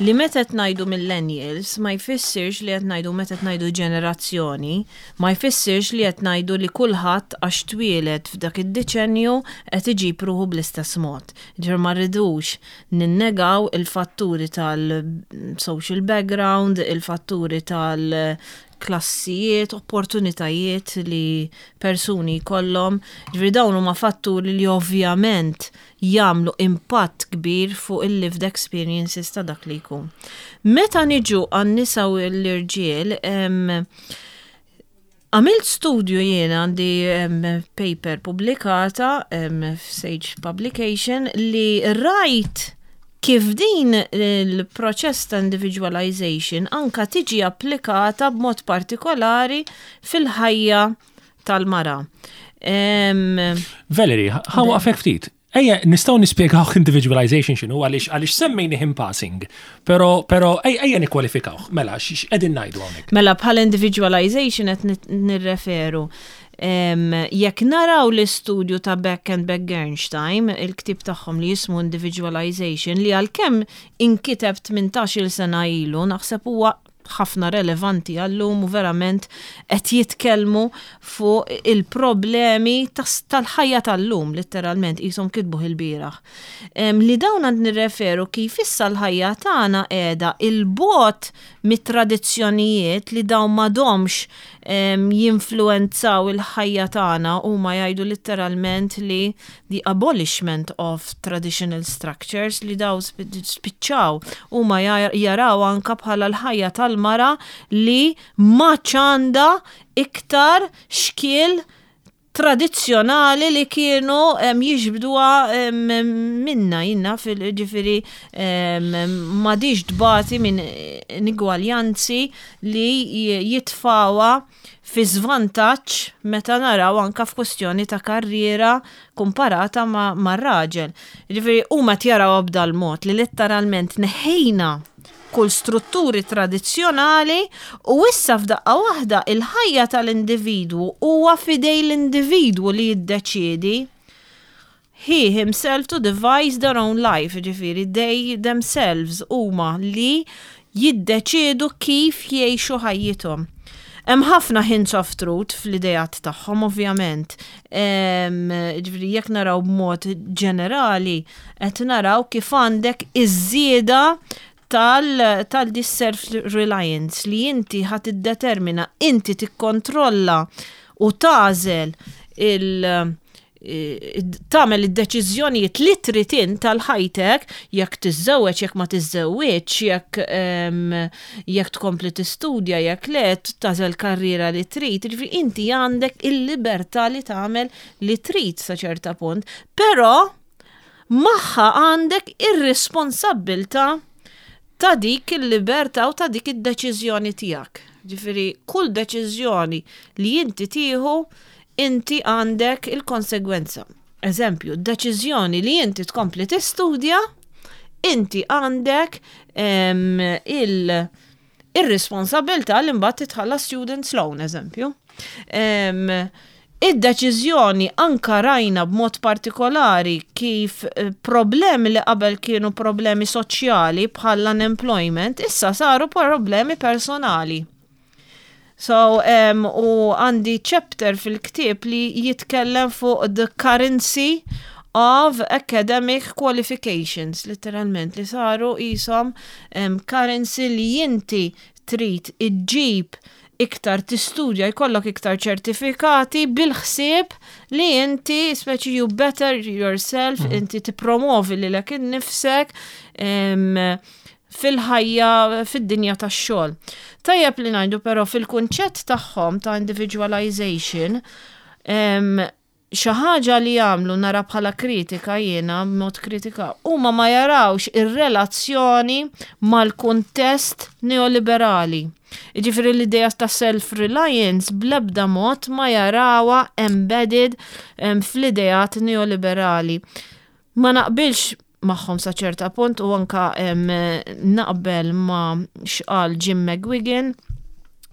Li meta qed ngħidu millennials ma jfissirx li qed ngħidu, meta qed ngħidu ġenerazzjoni, ma jfissirx li qed ngħidu li kulħadd għax twieled f'dak id-deċenju qed iġib ruħu bl-istess mod. Ġifieri ma rridux ninnegaw il-fatturi tal-social background, il-fatturi tal- klassijiet, opportunitajiet li persuni kollhom. Ġifieri dawn huma fatturi li ovvjament jagħmlu impatt kbir fuq il-lived experiences ta' dak li jkun. Meta niġu għan-nisa u l-irġiel, em, għamilt studju jiena, għandi em, paper publikata em, f'Sage Publication li rajt kif din il-proċess ta' individualization anka tiġi applikata b'mod partikolari fil-ħajja tal-mara. Em, Valerie, ħa nwaqqfek ftit. Ejja, nistgħu nispjegaw individualization x'inhu, għaliex għaliex semmejni in passing, pero pero ejja ejja nikkwalifikawh. Mela, x'qegħdin ngħidu hawnhekk? Mela, bħal individualization qed nit- nirreferu. Em, jekk naraw l-istudju ta' Beck and Beck-Gernsheim, il-ktib tagħhom li jismu Individualization, li għalkemm inkiteb tmintax-il sena ilu, naħseb huwa ħafna relevanti għallum u verament qed jitkellmu fuq il-problemi tas- tal-ħajja tal-lum, letteralment, qishom kitbuh il-bieraħ. Em, Li dawn għand nirreferu kif issa l-ħajja tagħna qiegħda il-bot mit-tradizzjonijiet li dawn m'għadhomx em, jinfluenzaw il-ħajja tagħna. Huma jgħidu letteralment li the abolishment of traditional structures, li daw spi- spiċċaw. Huma jar- jaraw anka bħala l-ħajja tal-mara li ma għandha iktar xkiel tradizzjonali li kienu em, jiġbduha em, minna jinna fil-ġifieri m'għadhiex tbati minn inugwaljanzi li jitfgħuha fi żvantaġġ meta naraw anka f'kwestjoni ta' karriera komparata ma' ma' raġel. Ġifieri huma jaraw b'dal mod li letteralment neħejna kull strutturi tradizzjonali u issa f'daqqa waħda il-ħajja tal-individwu huwa f'idejn l-individwu li jiddeċiedi, he himself to devise their own life, ġifieri they themselves huma li jiddeċiedu kif jgħixu ħajjithom. Hemm ħafna hints of truth fl-idejat tagħhom, ovvjament. Em, Ġifieri jekk naraw b'mod ġenerali, qed naraw kif għandek iż-żieda tal tal this self-reliance li inti ħa tiddetermina, inti tikkontrolla u tagħżel il- tagħmel id-deċiżjonijiet li trid int tal-ħajtek, jekk tiżżewweġ, jekk ma tiżżewweġ, jekk em, jekk tkompli tistudja, jekk le, tagħżel karriera li trid, ġifieri inti għandek il-libertà li tagħmel li trid sa ċerta punt, però magħha għandek ir-responsabbiltà ta' dik il-libertà u ta' dik id-deċiżjoni tiegħek. Ġifieri kull deċiżjoni li inti tieħu, inti għandek il-konsegwenza. Eżempju, deċiżjoni li inti tkompli tistudja, inti għandek em, il- ir-responsabilità li mbagħad titħallas student loan, eżempju. Em, Id-deċiżjoni anka rajna b'mod partikolari kif eh, problemi li qabel kienu problemi soċjali bħal unemployment issa saru problemi personali. So, um, u għandi chapter fil-ktieb li jitkellem fuq the currency of academic qualifications, literalment, li saru qishom um, currency li inti trid iġġib iktar tistudja, jkollok iktar ċertifikati bil-ħsieb li inti speċi you better yourself, mm. inti tippromovi lilek innifsek um, fil-ħajja, fid-dinja tax-xogħol. Tajjeb li ngħidu però fil-kunċett tagħhom ta' individualization, em, xi ħaġa li jagħmlu, nara bħala kritika jiena, mod kritika, huma ma jarawx ir-relazzjoni mal-kuntest neoliberali. Jiġifieri l-idea ta' self-reliance bl-ebda mod ma jarawha embedded em, fl-ideat neoliberali. Ma naqbilx magħhom sa ċerta punt u anka em, naqbel ma x'qal Jim McGuigan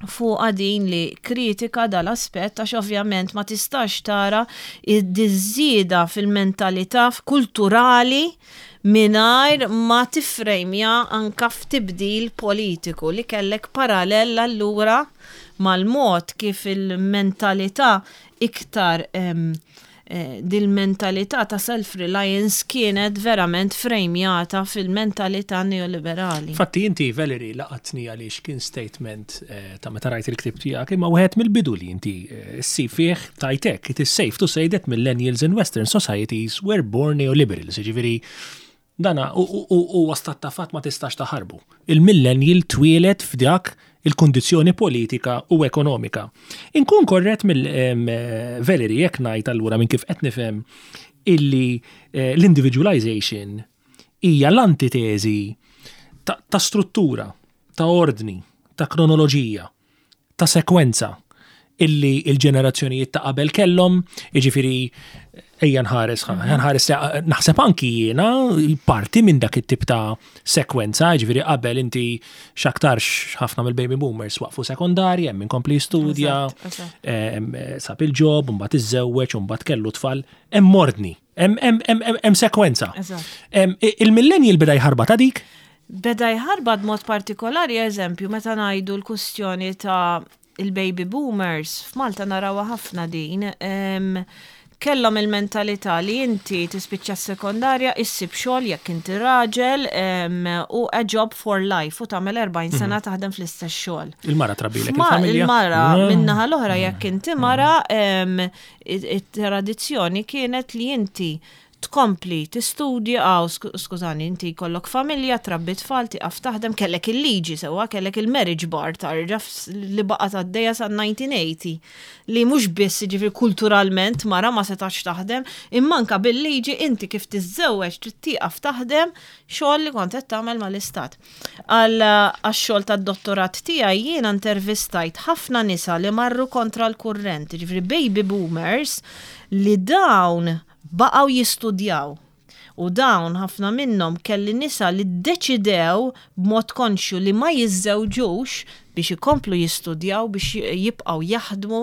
Fuq din li kritika dal-aspett, għax ovvjament ma tistax tara id-żieda fil-mentalità kulturali mingħajr ma tifrejmja anka f'tibdil politiku li kellek parallel allura mal-mod kif il-mentalità iktar em, eh, dil-mentalità ta' self-reliance kienet verament frejmjata fil-mentalità neoliberali. Fatti inti, Valerie, laqatni għaliex kien statement eh, ta' meta rajt il-ktib tiegħek, imma wieħed mill-bidu li inti eh, ssib fih tajtek, "It is safe to say that millennials in Western societies were born neoliberals." Ġifieri dana u stat ta' fatt, ma tistax taħarbu. Il-millennial twieled f'dak il-kondizjoni politika u ekonomika. Inkun korrett mill-Valerie jekk ngħid allura, minn kif qed nifhem, illi eh, l-individualization hija l-antiteżi ta', ta struttura, ta' ordni, ta' kronoloġija, ta' sekwenza illi il-ġenerazzjonijiet ta' qabel kellhom, jiġifieri ejja nħares, nħares, naħseb anki jiena parti minn dak it-tip ta' sekwenza, jiġifieri qabel inti x'aktarx ħafna mill-baby boomers waqfu sekondarja, hemm min kompli studja, sab il-job, mbagħad iżżewweġ, mbagħad kellu tfal, hemm ordni, hemm sekwenza. Il-millennial beda jħarbat ta' dik? Beda jħarbat mod partikolari, eżempju, meta ngħidu l-kustjoni ta' il-baby boomers, f'Malta narawha ħafna din, kellhom il-mentalità li inti tispiċċa s-sekondarja, issib xogħol jekk inti raġel u a job for life u tagħmel erbgħin sena mhm. taħdem fl-istess xogħol. Il-mara trabbilek il-familja. Il-mara mm. min-naħa l-oħra, jekk inti mara, it-tradizzjoni kienet li inti tkompli tistudja, għaw, skużani, inti jkollok familja, trabbi tfal, tiqaf taħdem, kellek il-liġi sewa, kellek il-marriage bar tarġa li baqgħet għaddejja sa elf disa' mija u tmenin, li mhux biss ġifieri kulturalment mara ma setax taħdem, imma anka bil-liġi inti kif tiżżewweġ trid tieqaf taħdem xogħol li kont qed tagħmel mal-istat. Għal għax-xogħol tad-dottorat tiegħi jiena intervistajt ħafna nisa li marru kontra l-kurrent, ġifieri baby boomers li dawn baqgħu jistudjaw. U dawn ħafna minnhom kelli nisa li ddeċidew b'mod konxju li ma jiżżewġux biex ikomplu jistudjaw, biex jibqgħu jaħdmu.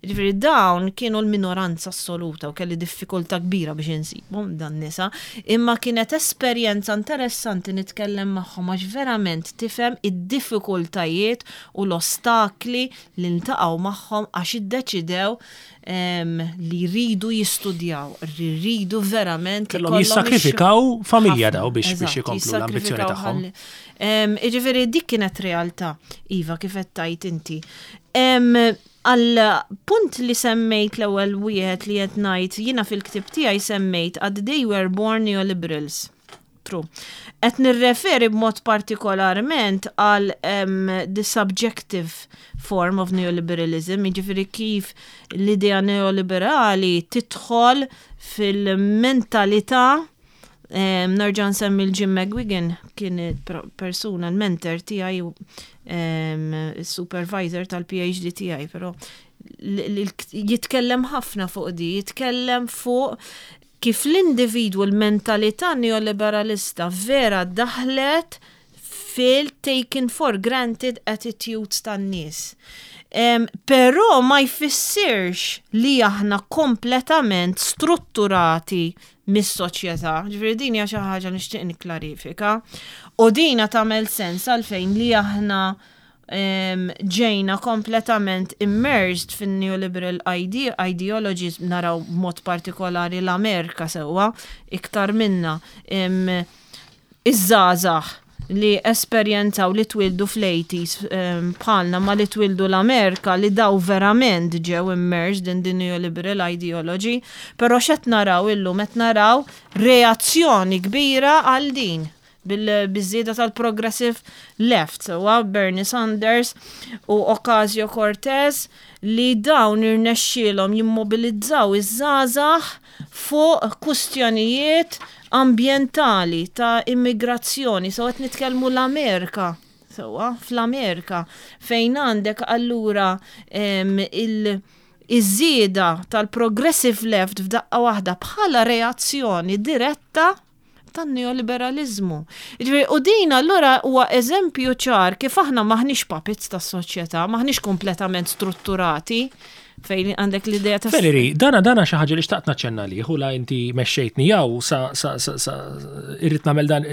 Ġifieri dawn kienu l-minoranza assoluta u kelli diffikultà kbira biex insibhom dan nisa, imma kienet esperjenza interessanti nitkellem magħhom għax verament tifhem id-diffikultajiet u l-ostakli li ntaqgħu magħhom għax iddeċidew li jridu jistudjaw, li jridu verament. Kellhom jissakrifikaw familja daw biex biex ikomplu l-ambizzjoni tagħhom. Ġifieri dik kienet realtà, iva, kif qed tgħid inti. Għal punt li semmejt, l-ewwel wieħed li qed ngħid jiena fil-ktib tiegħi, semmejt għad "they were born neoliberals". True. Qed nirreferi b'mod partikolarment għal um, the subjective form of neoliberalism, jiġifieri kif l-idea neoliberali tidħol fil-mentalità. um, Nerġa' nsemmi l-Jim McGuigan, kien persuna, l-mentor tiegħi, um, supervisor tal-P H D tiegħi, però jitkellem ħafna fuq di, jitkellem fuq kif l-individwu, l-mentalità neoliberalista vera daħlet fil-taken for granted attitudes tan-nies. Um, Però ma jfissirx li aħna kompletament strutturati mis-soċjetà. Ġifieri din hija xi ħaġa nixtieq nikklarifika. U dina tagħmel sens għalfejn li aħna ġejna kompletament immersed fin-neoliberal ide ideologies, naraw mod partikolari l-Amerika sewwa iktar minna. Iż-żgħażagħ li esperjenzaw, li twildu fl-eighties bħalna ma li twildu l-Amerika, li daw verament ġew immersed in the neoliberal ideology, però x'qed naraw illum? Qed naraw reazzjoni kbira għal din bil-biżieda tal-progressive left, sewa Bernie Sanders u Ocasio-Cortez, li dawn irnexxielhom jimmobilizzaw iż-żgħażagħ fuq kustjonijiet ambientali, ta' immigrazzjoni, so qed nitkellmu l-Amerika. Sewa, fl-Amerika, fejn għandek allura il- iż-żieda tal-progressive left f'daqqa waħda bħala reazzjoni diretta. Tan-neoliberalizmu. Ġifieri, u din allura huwa eżempju ċar kif aħna maħniex puppets tas-soċjetà, maħniex kompletament strutturati, fejn għandek l-idea ta' Valerie, dana dana xi ħaġa li xtaqt naċċenna li u la inti mexxejtni jew sa sa sa sa irrid nagħmel dan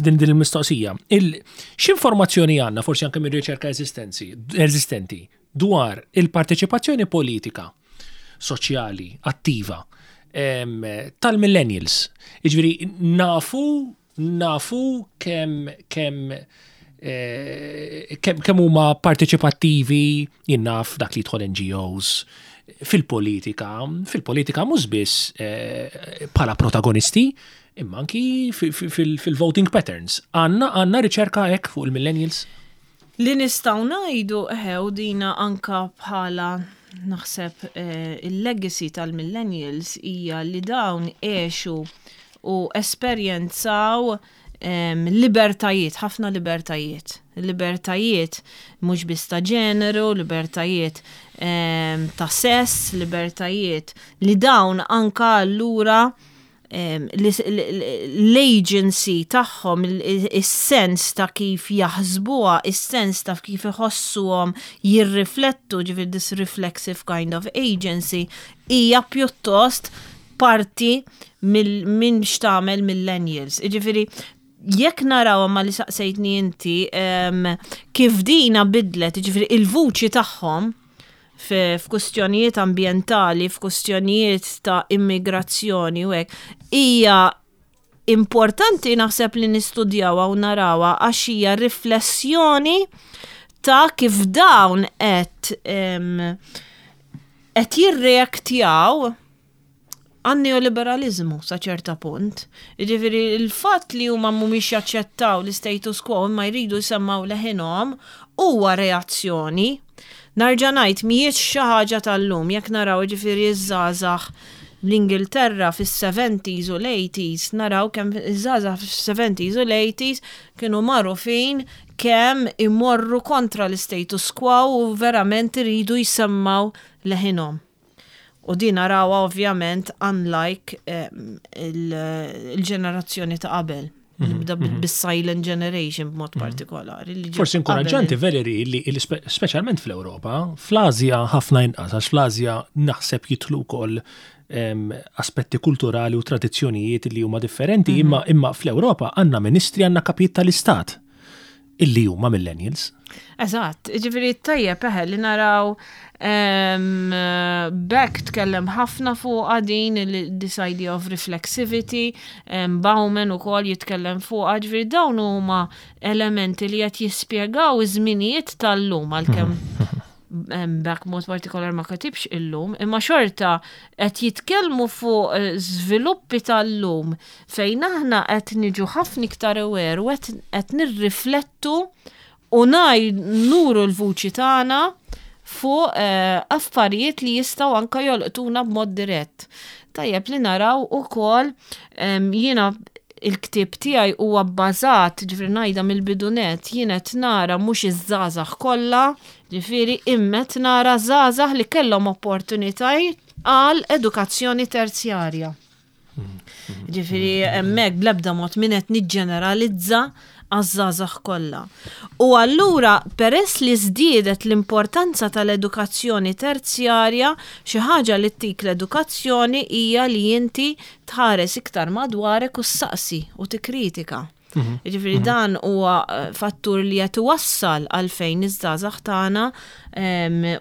din din il-mistoqsija. Il X'informazzjoni għandna, forsi anke minn riċerka eżistenzi eżistenti, dwar il-parteċipazzjoni politika, soċjali, attiva em, tal-millennials? Jiġifieri nafu nafu kemm kemm eh, kemm kemm huma parteċipattivi, jien naf, dak li jidħol N G Os, fil-politika, fil-politika mhux biss eh, bħala protagonisti, imma anki fil-voting patterns. Għandna għandna riċerka hekk fuq il-millennials? Li nistgħu ngħidu eħe, u dina anka bħala naħseb eh, il-legacy tal-millennials, hija li dawn għexu u esperjenzaw em, libertajiet, ħafna libertajiet. Libertajiet mhux biss ta' ġeneru, libertajiet em, ta' sess, libertajiet li dawn anka allura em, l-agency tagħhom, is-sens ta' kif jaħsbuha, is-sens ta' kif iħossuhom jirriflettu, ġifieri this reflexive kind of agency, hija pjuttost parti minn x'tagħmel millennials. Ġifieri, jekk naraw ma li saqsejtni inti em, kif dina bidlet, ġifieri il-vuċi tagħhom f'kustjonijiet ambientali, f'kustjonijiet ta' immigrazzjoni u hekk, hija importanti naħseb li nistudjawha u narawha, għax hija riflessjoni ta' kif dawn qed qed jirreaktjaw għan-neoliberalizmu sa ċerta punt. Ġifieri il-fatt li huma mhumiex jaċċettaw l-status quo imma jridu jsemmaw leħinhom huwa reazzjoni. Nerġa' ngħid, mhijiex xi ħaġa tal-lum. Jekk naraw, ġifieri, iż-żgħażagħ l-Ingilterra fis-seventies u l-eighties, naraw kemm iż-żgħażagħ fis-seventies u l-eighties kienu magħrufin kemm imorru kontra l-status quo u verament iridu jsemmaw leħinhom. U din narawha ovvjament unlike il-ġenerazzjoni ta' qabel. Nibda mhm, mhm. bis-silent generation b'mod mhm. partikolari. Forsi inkoraġġanti, Valerie, li speċjalment fl-Ewropa, fl-Azja ħafna inqas, għax fl-Azja naħseb jidħlu wkoll aspetti kulturali u tradizzjonijiet li huma differenti, imma imma fl-Ewropa għandna ministri, għandna kapijiet tal-istat illi huma millennials. Eżatt, ġifieri tajjeb eħe li naraw. Beck tkellem ħafna fuq din this idea of reflexivity, Bauman ukoll jitkellem fuq, ġifieri dawn huma elementi li qed jispjegaw iż-żminijiet tal-lum, għalkemm Beck mod partikolar ma katibx illum, imma xorta qed jitkellmu fuq eh, żviluppi tal-lum fejn aħna qed niġu ħafna iktar aware u qed nirriflettu u ngħid nuru l-vuċi tagħna fuq eh, affarijiet li jistgħu anka jolqtuna b'mod dirett. Tajjeb li naraw ukoll, jiena il-ktib tiegħi huwa bbażat, ġifieri ngħidha mill-bidunet, jien qed nara mhux iż-żgħażagħ kollha, ġifieri imma qed nara żgħażagħ li kellhom opportunitajiet għal edukazzjoni terzjarja. Ġifieri hemmhekk bl-ebda mod min qed niġġeneralizza għaż-żgħażagħ kollha. U allura, peress li żdiedet l-importanza tal-edukazzjoni terzjarja, xi ħaġa li ttik l-edukazzjoni hija li inti tħares iktar madwarek u ssaqsi u tikkritika. Mhm. Ġifieri mhm. dan huwa eh, fattur li qed iwassal għalfejn iż-żgħażagħ tagħna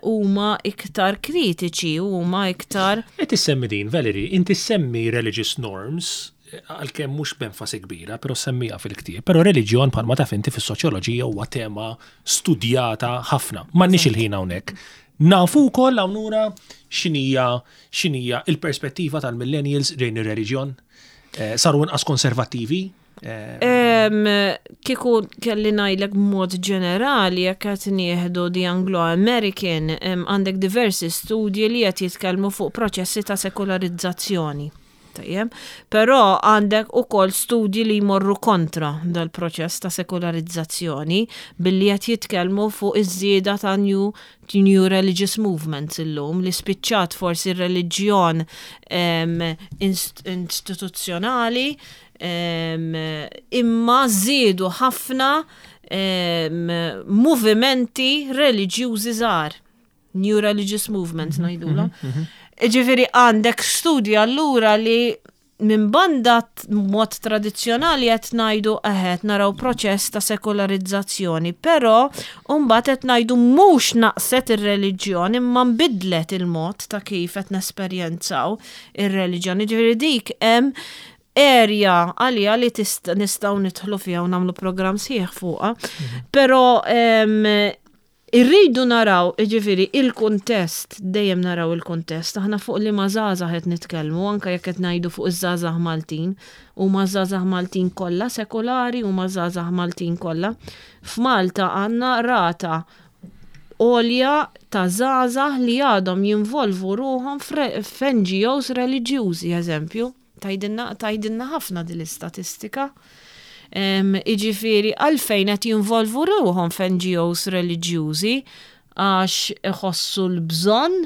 huma iktar kritiċi u huma iktar Qed issemmi din, Valerie, inti semmi religious norms, għalkemm mhux b'enfasi kbira, però semmija fil-ktieb. Però reliġjon, bħalma taf inti, fis-soċjoloġija huwa tema studjata ħafna. M'għandniex il-ħin hawnhekk. Nafu wkoll hawnura x'inhija x'inhija il-perspettiva tal-millennials lejn ir-reliġjon. Eh, saru inqas konservattivi. Eh, kieku kelli ngħidlek mod ġenerali, jekk qed nieħdu di Anglo-American, għandek diversi studji li qed jitkellmu fuq proċessi ta' sekolarizzazzjoni. Tajjeb. Però għandek ukoll studji li jmorru kontra dal-proċess ta' sekolarizzazzjoni billi qed jitkellmu fuq iż-żieda ta' new, new religious movements illum li spiċċat forsi r-reliġjon em, inst istituzzjonali em, imma żiedu ħafna em, movimenti reliġjużi żgħar. New religious movements ngħidulhom. Ġifieri għandek studji allura li minn banda t- mod tradizzjonali qed ngħidu eħed naraw proċess ta' sekolarizzazzjoni, però mbagħad qed ngħidu mhux naqset ir-reliġjon imma nbidlet il-mod ta' kif qed nesperjenzaw ir-reliġjon. Ġifieri dik hemm area għalija li tist- nistgħu nidħlu fiha u nagħmlu programm sħiħ fuqha. Però em, irridu naraw, ġifieri, il-kuntest, dejjem naraw il-kuntest, aħna fuq li ma żgħażagħ qed nitkellmu, anke jekk qed ngħidu fuq iż-żgħażagħ Maltin, u ma żgħażagħ Maltin kollha sekolari u ma żgħażagħ Maltin kollha. F'Malta għandna rata għolja ta' żgħażagħ li għadhom jinvolvu ruħhom f'N G Os reliġjużi, eżempju. Tgħidilna tgħidilna ħafna din l-istatistika. Em, Iġifieri, għalfejn qed jinvolvu ruħhom f'N G Os reliġjużi? Għax iħossu l-bżonn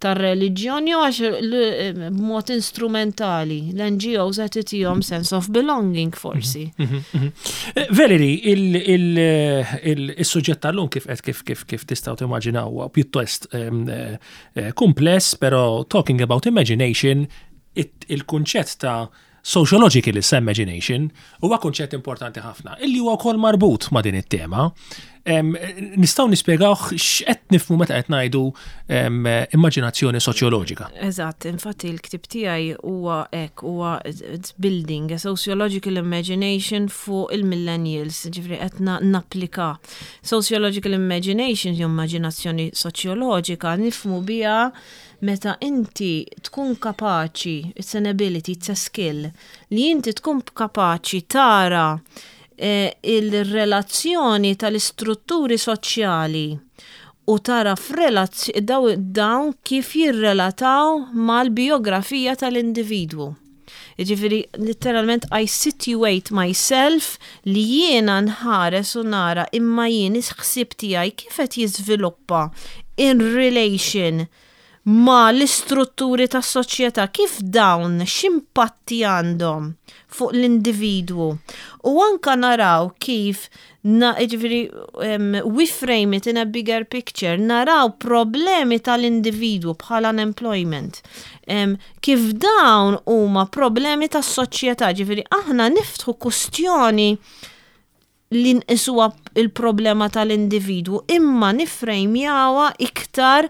tar-reliġjon jew għax l- b'mod instrumentali l-N G Os qed itihom sense of belonging forsi? Eh, Valerie, il-suġġett tal-lum, kif qed kif kif kif tistgħu timmaġinaw, huwa pjuttost em, eh, eh, kumpless, però talking about imagination, it- il-kunċett ta' sociological imagination huwa kunċett importanti ħafna, illi huwa wkoll marbut ma' din it-tema. Em, Nistgħu nispjegaw x'qed nifhmu meta qed ngħidu em, immaġinazzjoni soċjoloġika? Eżatt, infatti il-ktib tiegħi huwa hekk, huwa it's building a sociological imagination fuq il-millennials, ġifieri qed na- napplika. Sociological imagination jew immaġinazzjoni soċjoloġika nifhmu biha meta inti tkun kapaċi, it's an ability, it's a skill, li inti tkun kapaċi tara eh, il-relazzjoni tal-istrutturi soċjali u tara f'relazz- daw, dawn kif jirrelataw mal-biografija tal-individwu. Ġifieri, literalment, I situate myself li jiena nħares u nara imma jien il-ħsieb tiegħi kif qed jiżviluppa in relation ma l-istrutturi tas soċjetà, kif dawn x'impatti għandhom fuq l-individwu. U anka naraw kif na, ġifieri, um, we frame it in a bigger picture, naraw problemi tal-individwu bħal unemployment. Um, kif dawn huma problemi tas-soċjetà, ġifieri aħna niftħu kustjoni li nqisuha il-problema tal-individwu imma nifrejmjawha iktar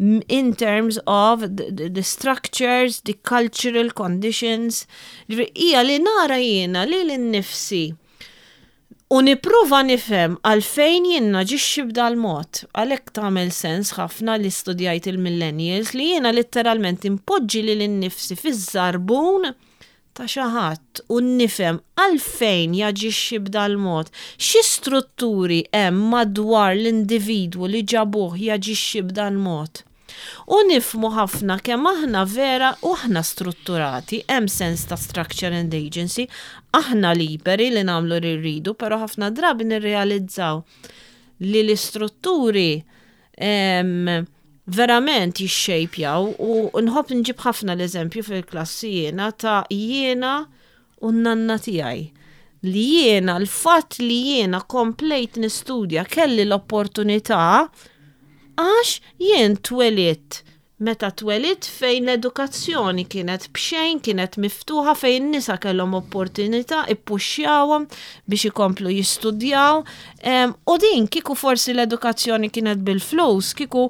m- in terms of the, the, the structures, the cultural conditions. Ġifieri, hija li nara jiena li l-nifsi u nipprova nifhem għalfejn jien naġixxi b'dal-mod. Għalhekk tagħmel sens ħafna li studjajt il-millennials, li jiena letteralment impoġġi lili nnifsi fiż-żarbun ta' xi ħadd u nifhem għalfejn jaġixxi b'dal-mod. Xi strutturi hemm madwar l-individwu li ġabuh jaġixxi b'dal-mod? U nifhmu ħafna kemm aħna vera u aħna strutturati, hemm sens ta' structure and agency, aħna liberi li nagħmlu li rridu, però ħafna drabi nirrealizzaw li l-istrutturi em, verament jixxejpjaw. U nħobb nġib ħafna l-eżempju fil-klassi jiena ta' jiena u n-nanna tiegħi. Li jiena, l-fatt li jiena komplejt nistudja, kelli l-opportunità għax jien twelidt meta twelidt fejn l-edukazzjoni kienet b'xejn, kienet miftuħa, fejn nisa kellhom opportunità, ippuxxjawhom biex ikomplu jistudjaw. Em, u din kieku forsi l-edukazzjoni kienet bil-flus, kieku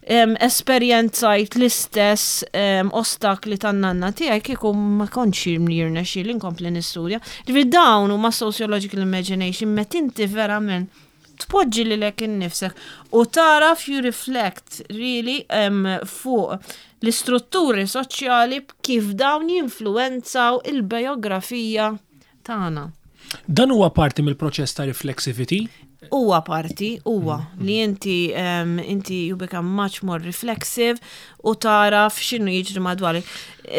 em, esperjenzajt l-istess em, ostakli tan-nanna tiegħi, kieku ma kontx jirnexxieli nkompli nistudja. Ġifieri dawn huma sociological imagination, meta inti verament tpoġġi lilek innifsek u taraf you reflect really um, fuq l-istrutturi soċjali, kif dawn jinfluenzaw il-biografija tagħna. Dan huwa parti mill-proċess ta' reflexivity? Huwa parti, huwa li inti um, inti you become much more reflexive. u taraf x'inhu jiġri madwarek.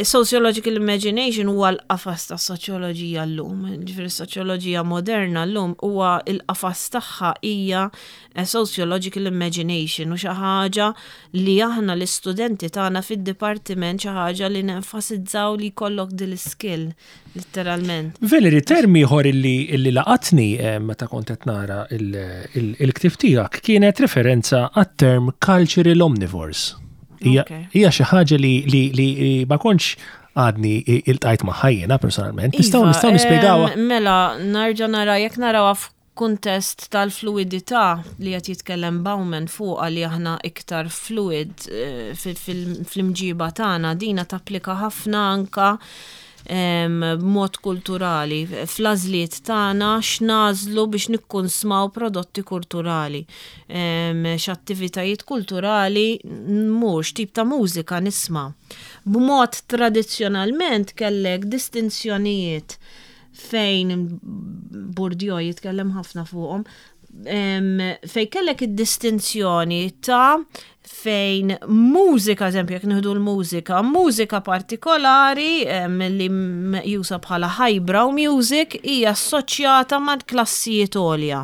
Sociological imagination huwa l-qafas ta' soċjoloġija llum, ġifieri soċjoloġija moderna llum huwa l-qafas tagħha hija sociological imagination u xi ħaġa li aħna l-istudenti tagħna fid-dipartiment xi ħaġa li nenfasizzaw li jkollok din skill letteralment. Valerie, term ieħor illi, illi laqatni eh, meta kont qed nara il-ktieb tiegħek kienet referenza għat-term cultural omnivores. Hija xi ħaġa li, li, li ma kontx għadni iltqajt magħha jiena personalment. Nistgħu Iva, nistgħu nispjegawha. Mela, narġa' nara jekk narawha f'kuntest tal-fluidità li qed jitkellem Bauman fuqha li aħna iktar fluid eh, fil-imġiba tagħna, dina tapplika ħafna anka b'mod kulturali, fl-għażliet tagħna x'nagħżlu biex nikkunsmaw prodotti kulturali. X'attivitajiet kulturali mhux tip ta' mużika nisma'. B'mod tradizzjonalment kellek distinzjonijiet fejn Bourdieu jitkellem ħafna fuqhom, fejn kellek id-distinzjoni ta' fejn mużika, eżempju, jekk nieħdu l-mużika, mużika partikolari li meqjusa bħala highbrow music hija assoċjata ma' klassijiet għolja.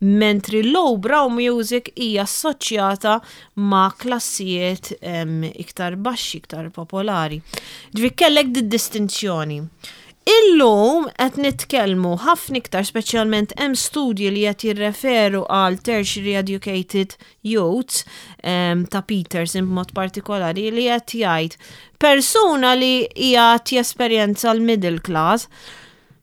Mentri lowbrow music hija assoċjata ma' klassijiet iktar baxxi, iktar popolari. Ġifieri kellek di distinzjoni. Illum qed nitkellmu ħafna iktar, speċjalment hemm studji li qed jirreferu għal tertiary educated youths um, ta' Peterson b'mod partikolari li qed jgħid persuna li hija jesperjenza l-middle class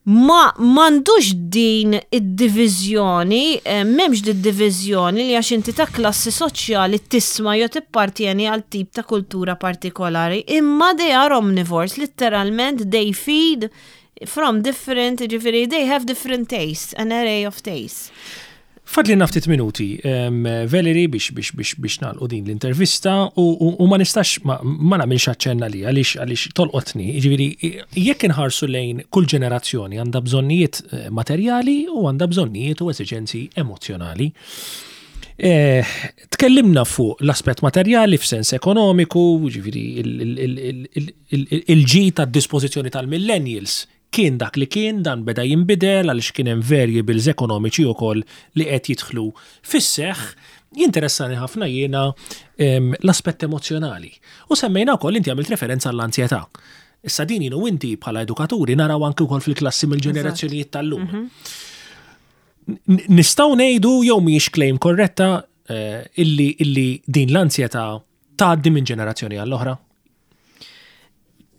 ma m'għandux din id-diviżjoni, eh, m'hemmx din id-diviżjoni li għax inti ta' klassi soċjali tisma' jew tippartieni għal tip ta' kultura partikolari, imma they are omnivores, literalment they feed from different, ġifieri, they have different tastes, an array of tastes. Fadlilna ftit minuti, Valerie, biex biex biex biex nagħlqu din l-intervista u, u, u ma nistax ma, ma nagħmilx aċċenna li għaliex għaliex tolqotni, jiġifieri jekk inħarsu lejn kull ġenerazzjoni għandha bżonnijiet eh, materjali u għandha bżonnijiet u esiġenzi emozjonali. Eh, tkellimna fuq l-aspett materjali f'sens ekonomiku, ġifieri il-ġid ta' dispożizzjoni tal-millennials kien dak li kien, dan beda jinbidel għaliex kien hemm variables ekonomiċi wkoll li qed jidħlu fis-seħħ. Jinteressani ħafna jiena l-aspett emozjonali. U semmejna wkoll inti għamilt referenza għall-anzjetà. Issa din jien u inti bħala edukaturi naraw anke wkoll fil-klassi mill-ġenerazzjonijiet tal-lum. Mhm. Nistgħu ngħidu jew mhijiex claim korretta eh, illi illi din l-anzjetà tgħaddi minn ġenerazzjoni għall-oħra?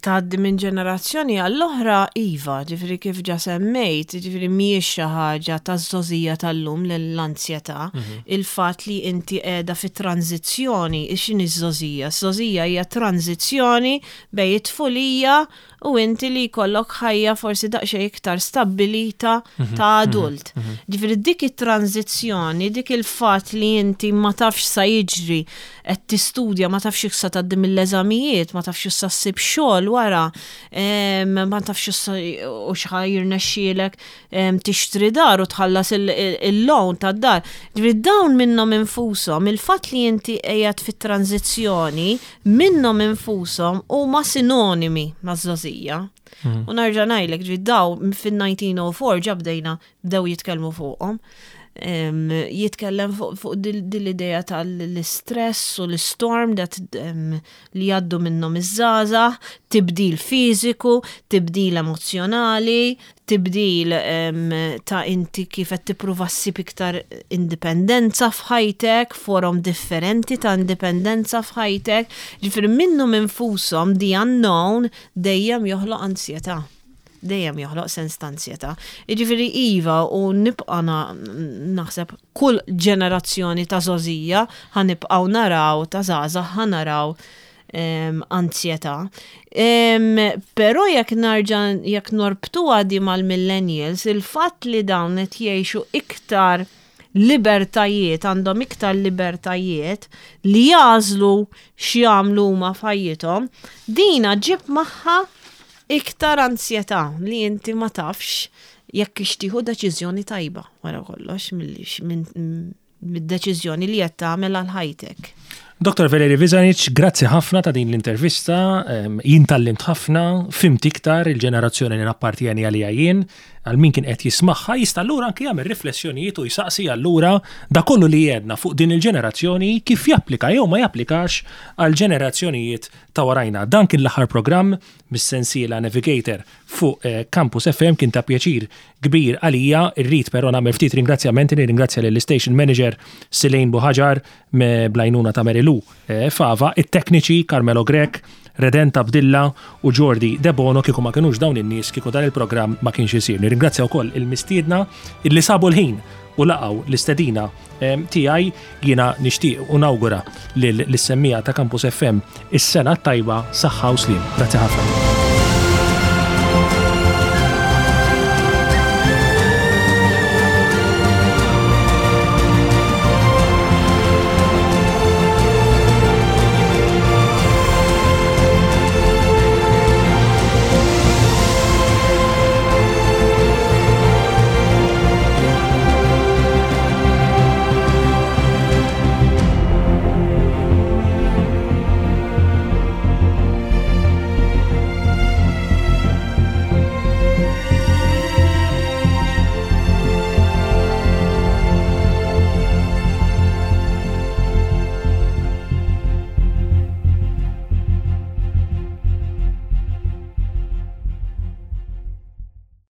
Tgħaddi minn ġenerazzjoni għall-oħra, iva, ġifieri kif ġa semmejt, ġifieri mhijiex xi ħaġa ta' żgħożija tal-lum l-anzjetà, mhm. il-fatt li inti qiegħda fi tranzizzjoni, x'inhi żgħożija? Żgħożija hija tranzizzjoni bejn it-tfulija u inti li jkollok ħajja forsi daqsxejn iktar stabbilita mhm, ta' mhm, adult. Ġifieri dik it-tranzizzjoni, dik il-fatt li inti ma tafx sa jiġri, qed tistudja, ma tafx sa tgħaddi mill-eżamijiet, ma tafx sa ssib xogħol wara, ma tafx u x'ħa jirnexxielek tixtri dar u tħallas il-loan tad-dar. Ġifieri dawn minnhom infushom, il-fatt li inti qiegħed fit-tranzizzjoni minnhom infushom huma sinonimi maż-żgħożija. Mhm. U nerġa' ngħidlek, ġifieri daw fin-elf disa' mija u erbgħa u ġa bdejna bdew jitkellmu fuqhom. Jitkellem fuq dil-idea tal-istress u l-storm that li jgħaddu minnhom iż-żgħażagħ, tibdil fiżiku, tibdil emozjonali, tibdil ta' inti kif qed tippruva ssib iktar indipendenza f'ħajtek, forom differenti ta' indipendenza f'ħajtek. Ġifieri minnhom infushom the unknown dejjem joħloq ansjetà, dejjem joħloq sens ta' ansjetà. Jiġifieri iva, u nibqa' naħseb kull ġenerazzjoni ta' żgħożija ħa nibqgħu naraw, ta' żgħażagħ ħa naraw anzjetà. Però jekk narġa' jekk norbtu għadi mal-millennials, il-fatt li dawn qed jgħixu iktar libertajiet, għandhom iktar libertajiet li jagħżlu x'jagħmlu huma f'ħajjithom, dina ġib magħha iktar ansjetà li inti ma tafx jekk tieħu deċiżjoni tajba wara kollox mid-deċiżjoni li qed tagħmel għal ħajtek. Dottor Valeri Vizanic, grazzi ħafna ta' din l-intervista, jien tgħallimt ħafna, fhimt iktar il-ġenerazzjoni li nappartjeni għalija jien, għal min kien qed jismagħha jista' allura anke jagħmel riflessjonijiet u jsaqsi allura da kollu li jedna fuq din il-ġenerazzjoni kif japplika jew ma japplikax għal ġenerazzjonijiet ta' warajna. Dan kien l-aħħar programm mis-sensiela Navigator fuq eh, Campus F M. Kien ta' pjaċir kbir għalija, irrid però nagħmel ftit ringrazzjamenti, nirringrazzja lill-station manager Silejn Buħaġar bl-għajnuna ta' Merilu eh, Fava, it-tekniċi Carmelo Grek, Redenta Abdilla u Jordi Debono. Kieku ma kienux dawn in-nies, kieku dan il-programm ma kienx isir. Nirringrazzja wkoll il-mistiedna illi sabu l-ħin u laqgħu l-istedina tiegħi. Jiena nixtieq u nawgura lill-semmiegħa ta' Campus F M is-sena tajba, saħħa u sliem. Grazzi ħafna.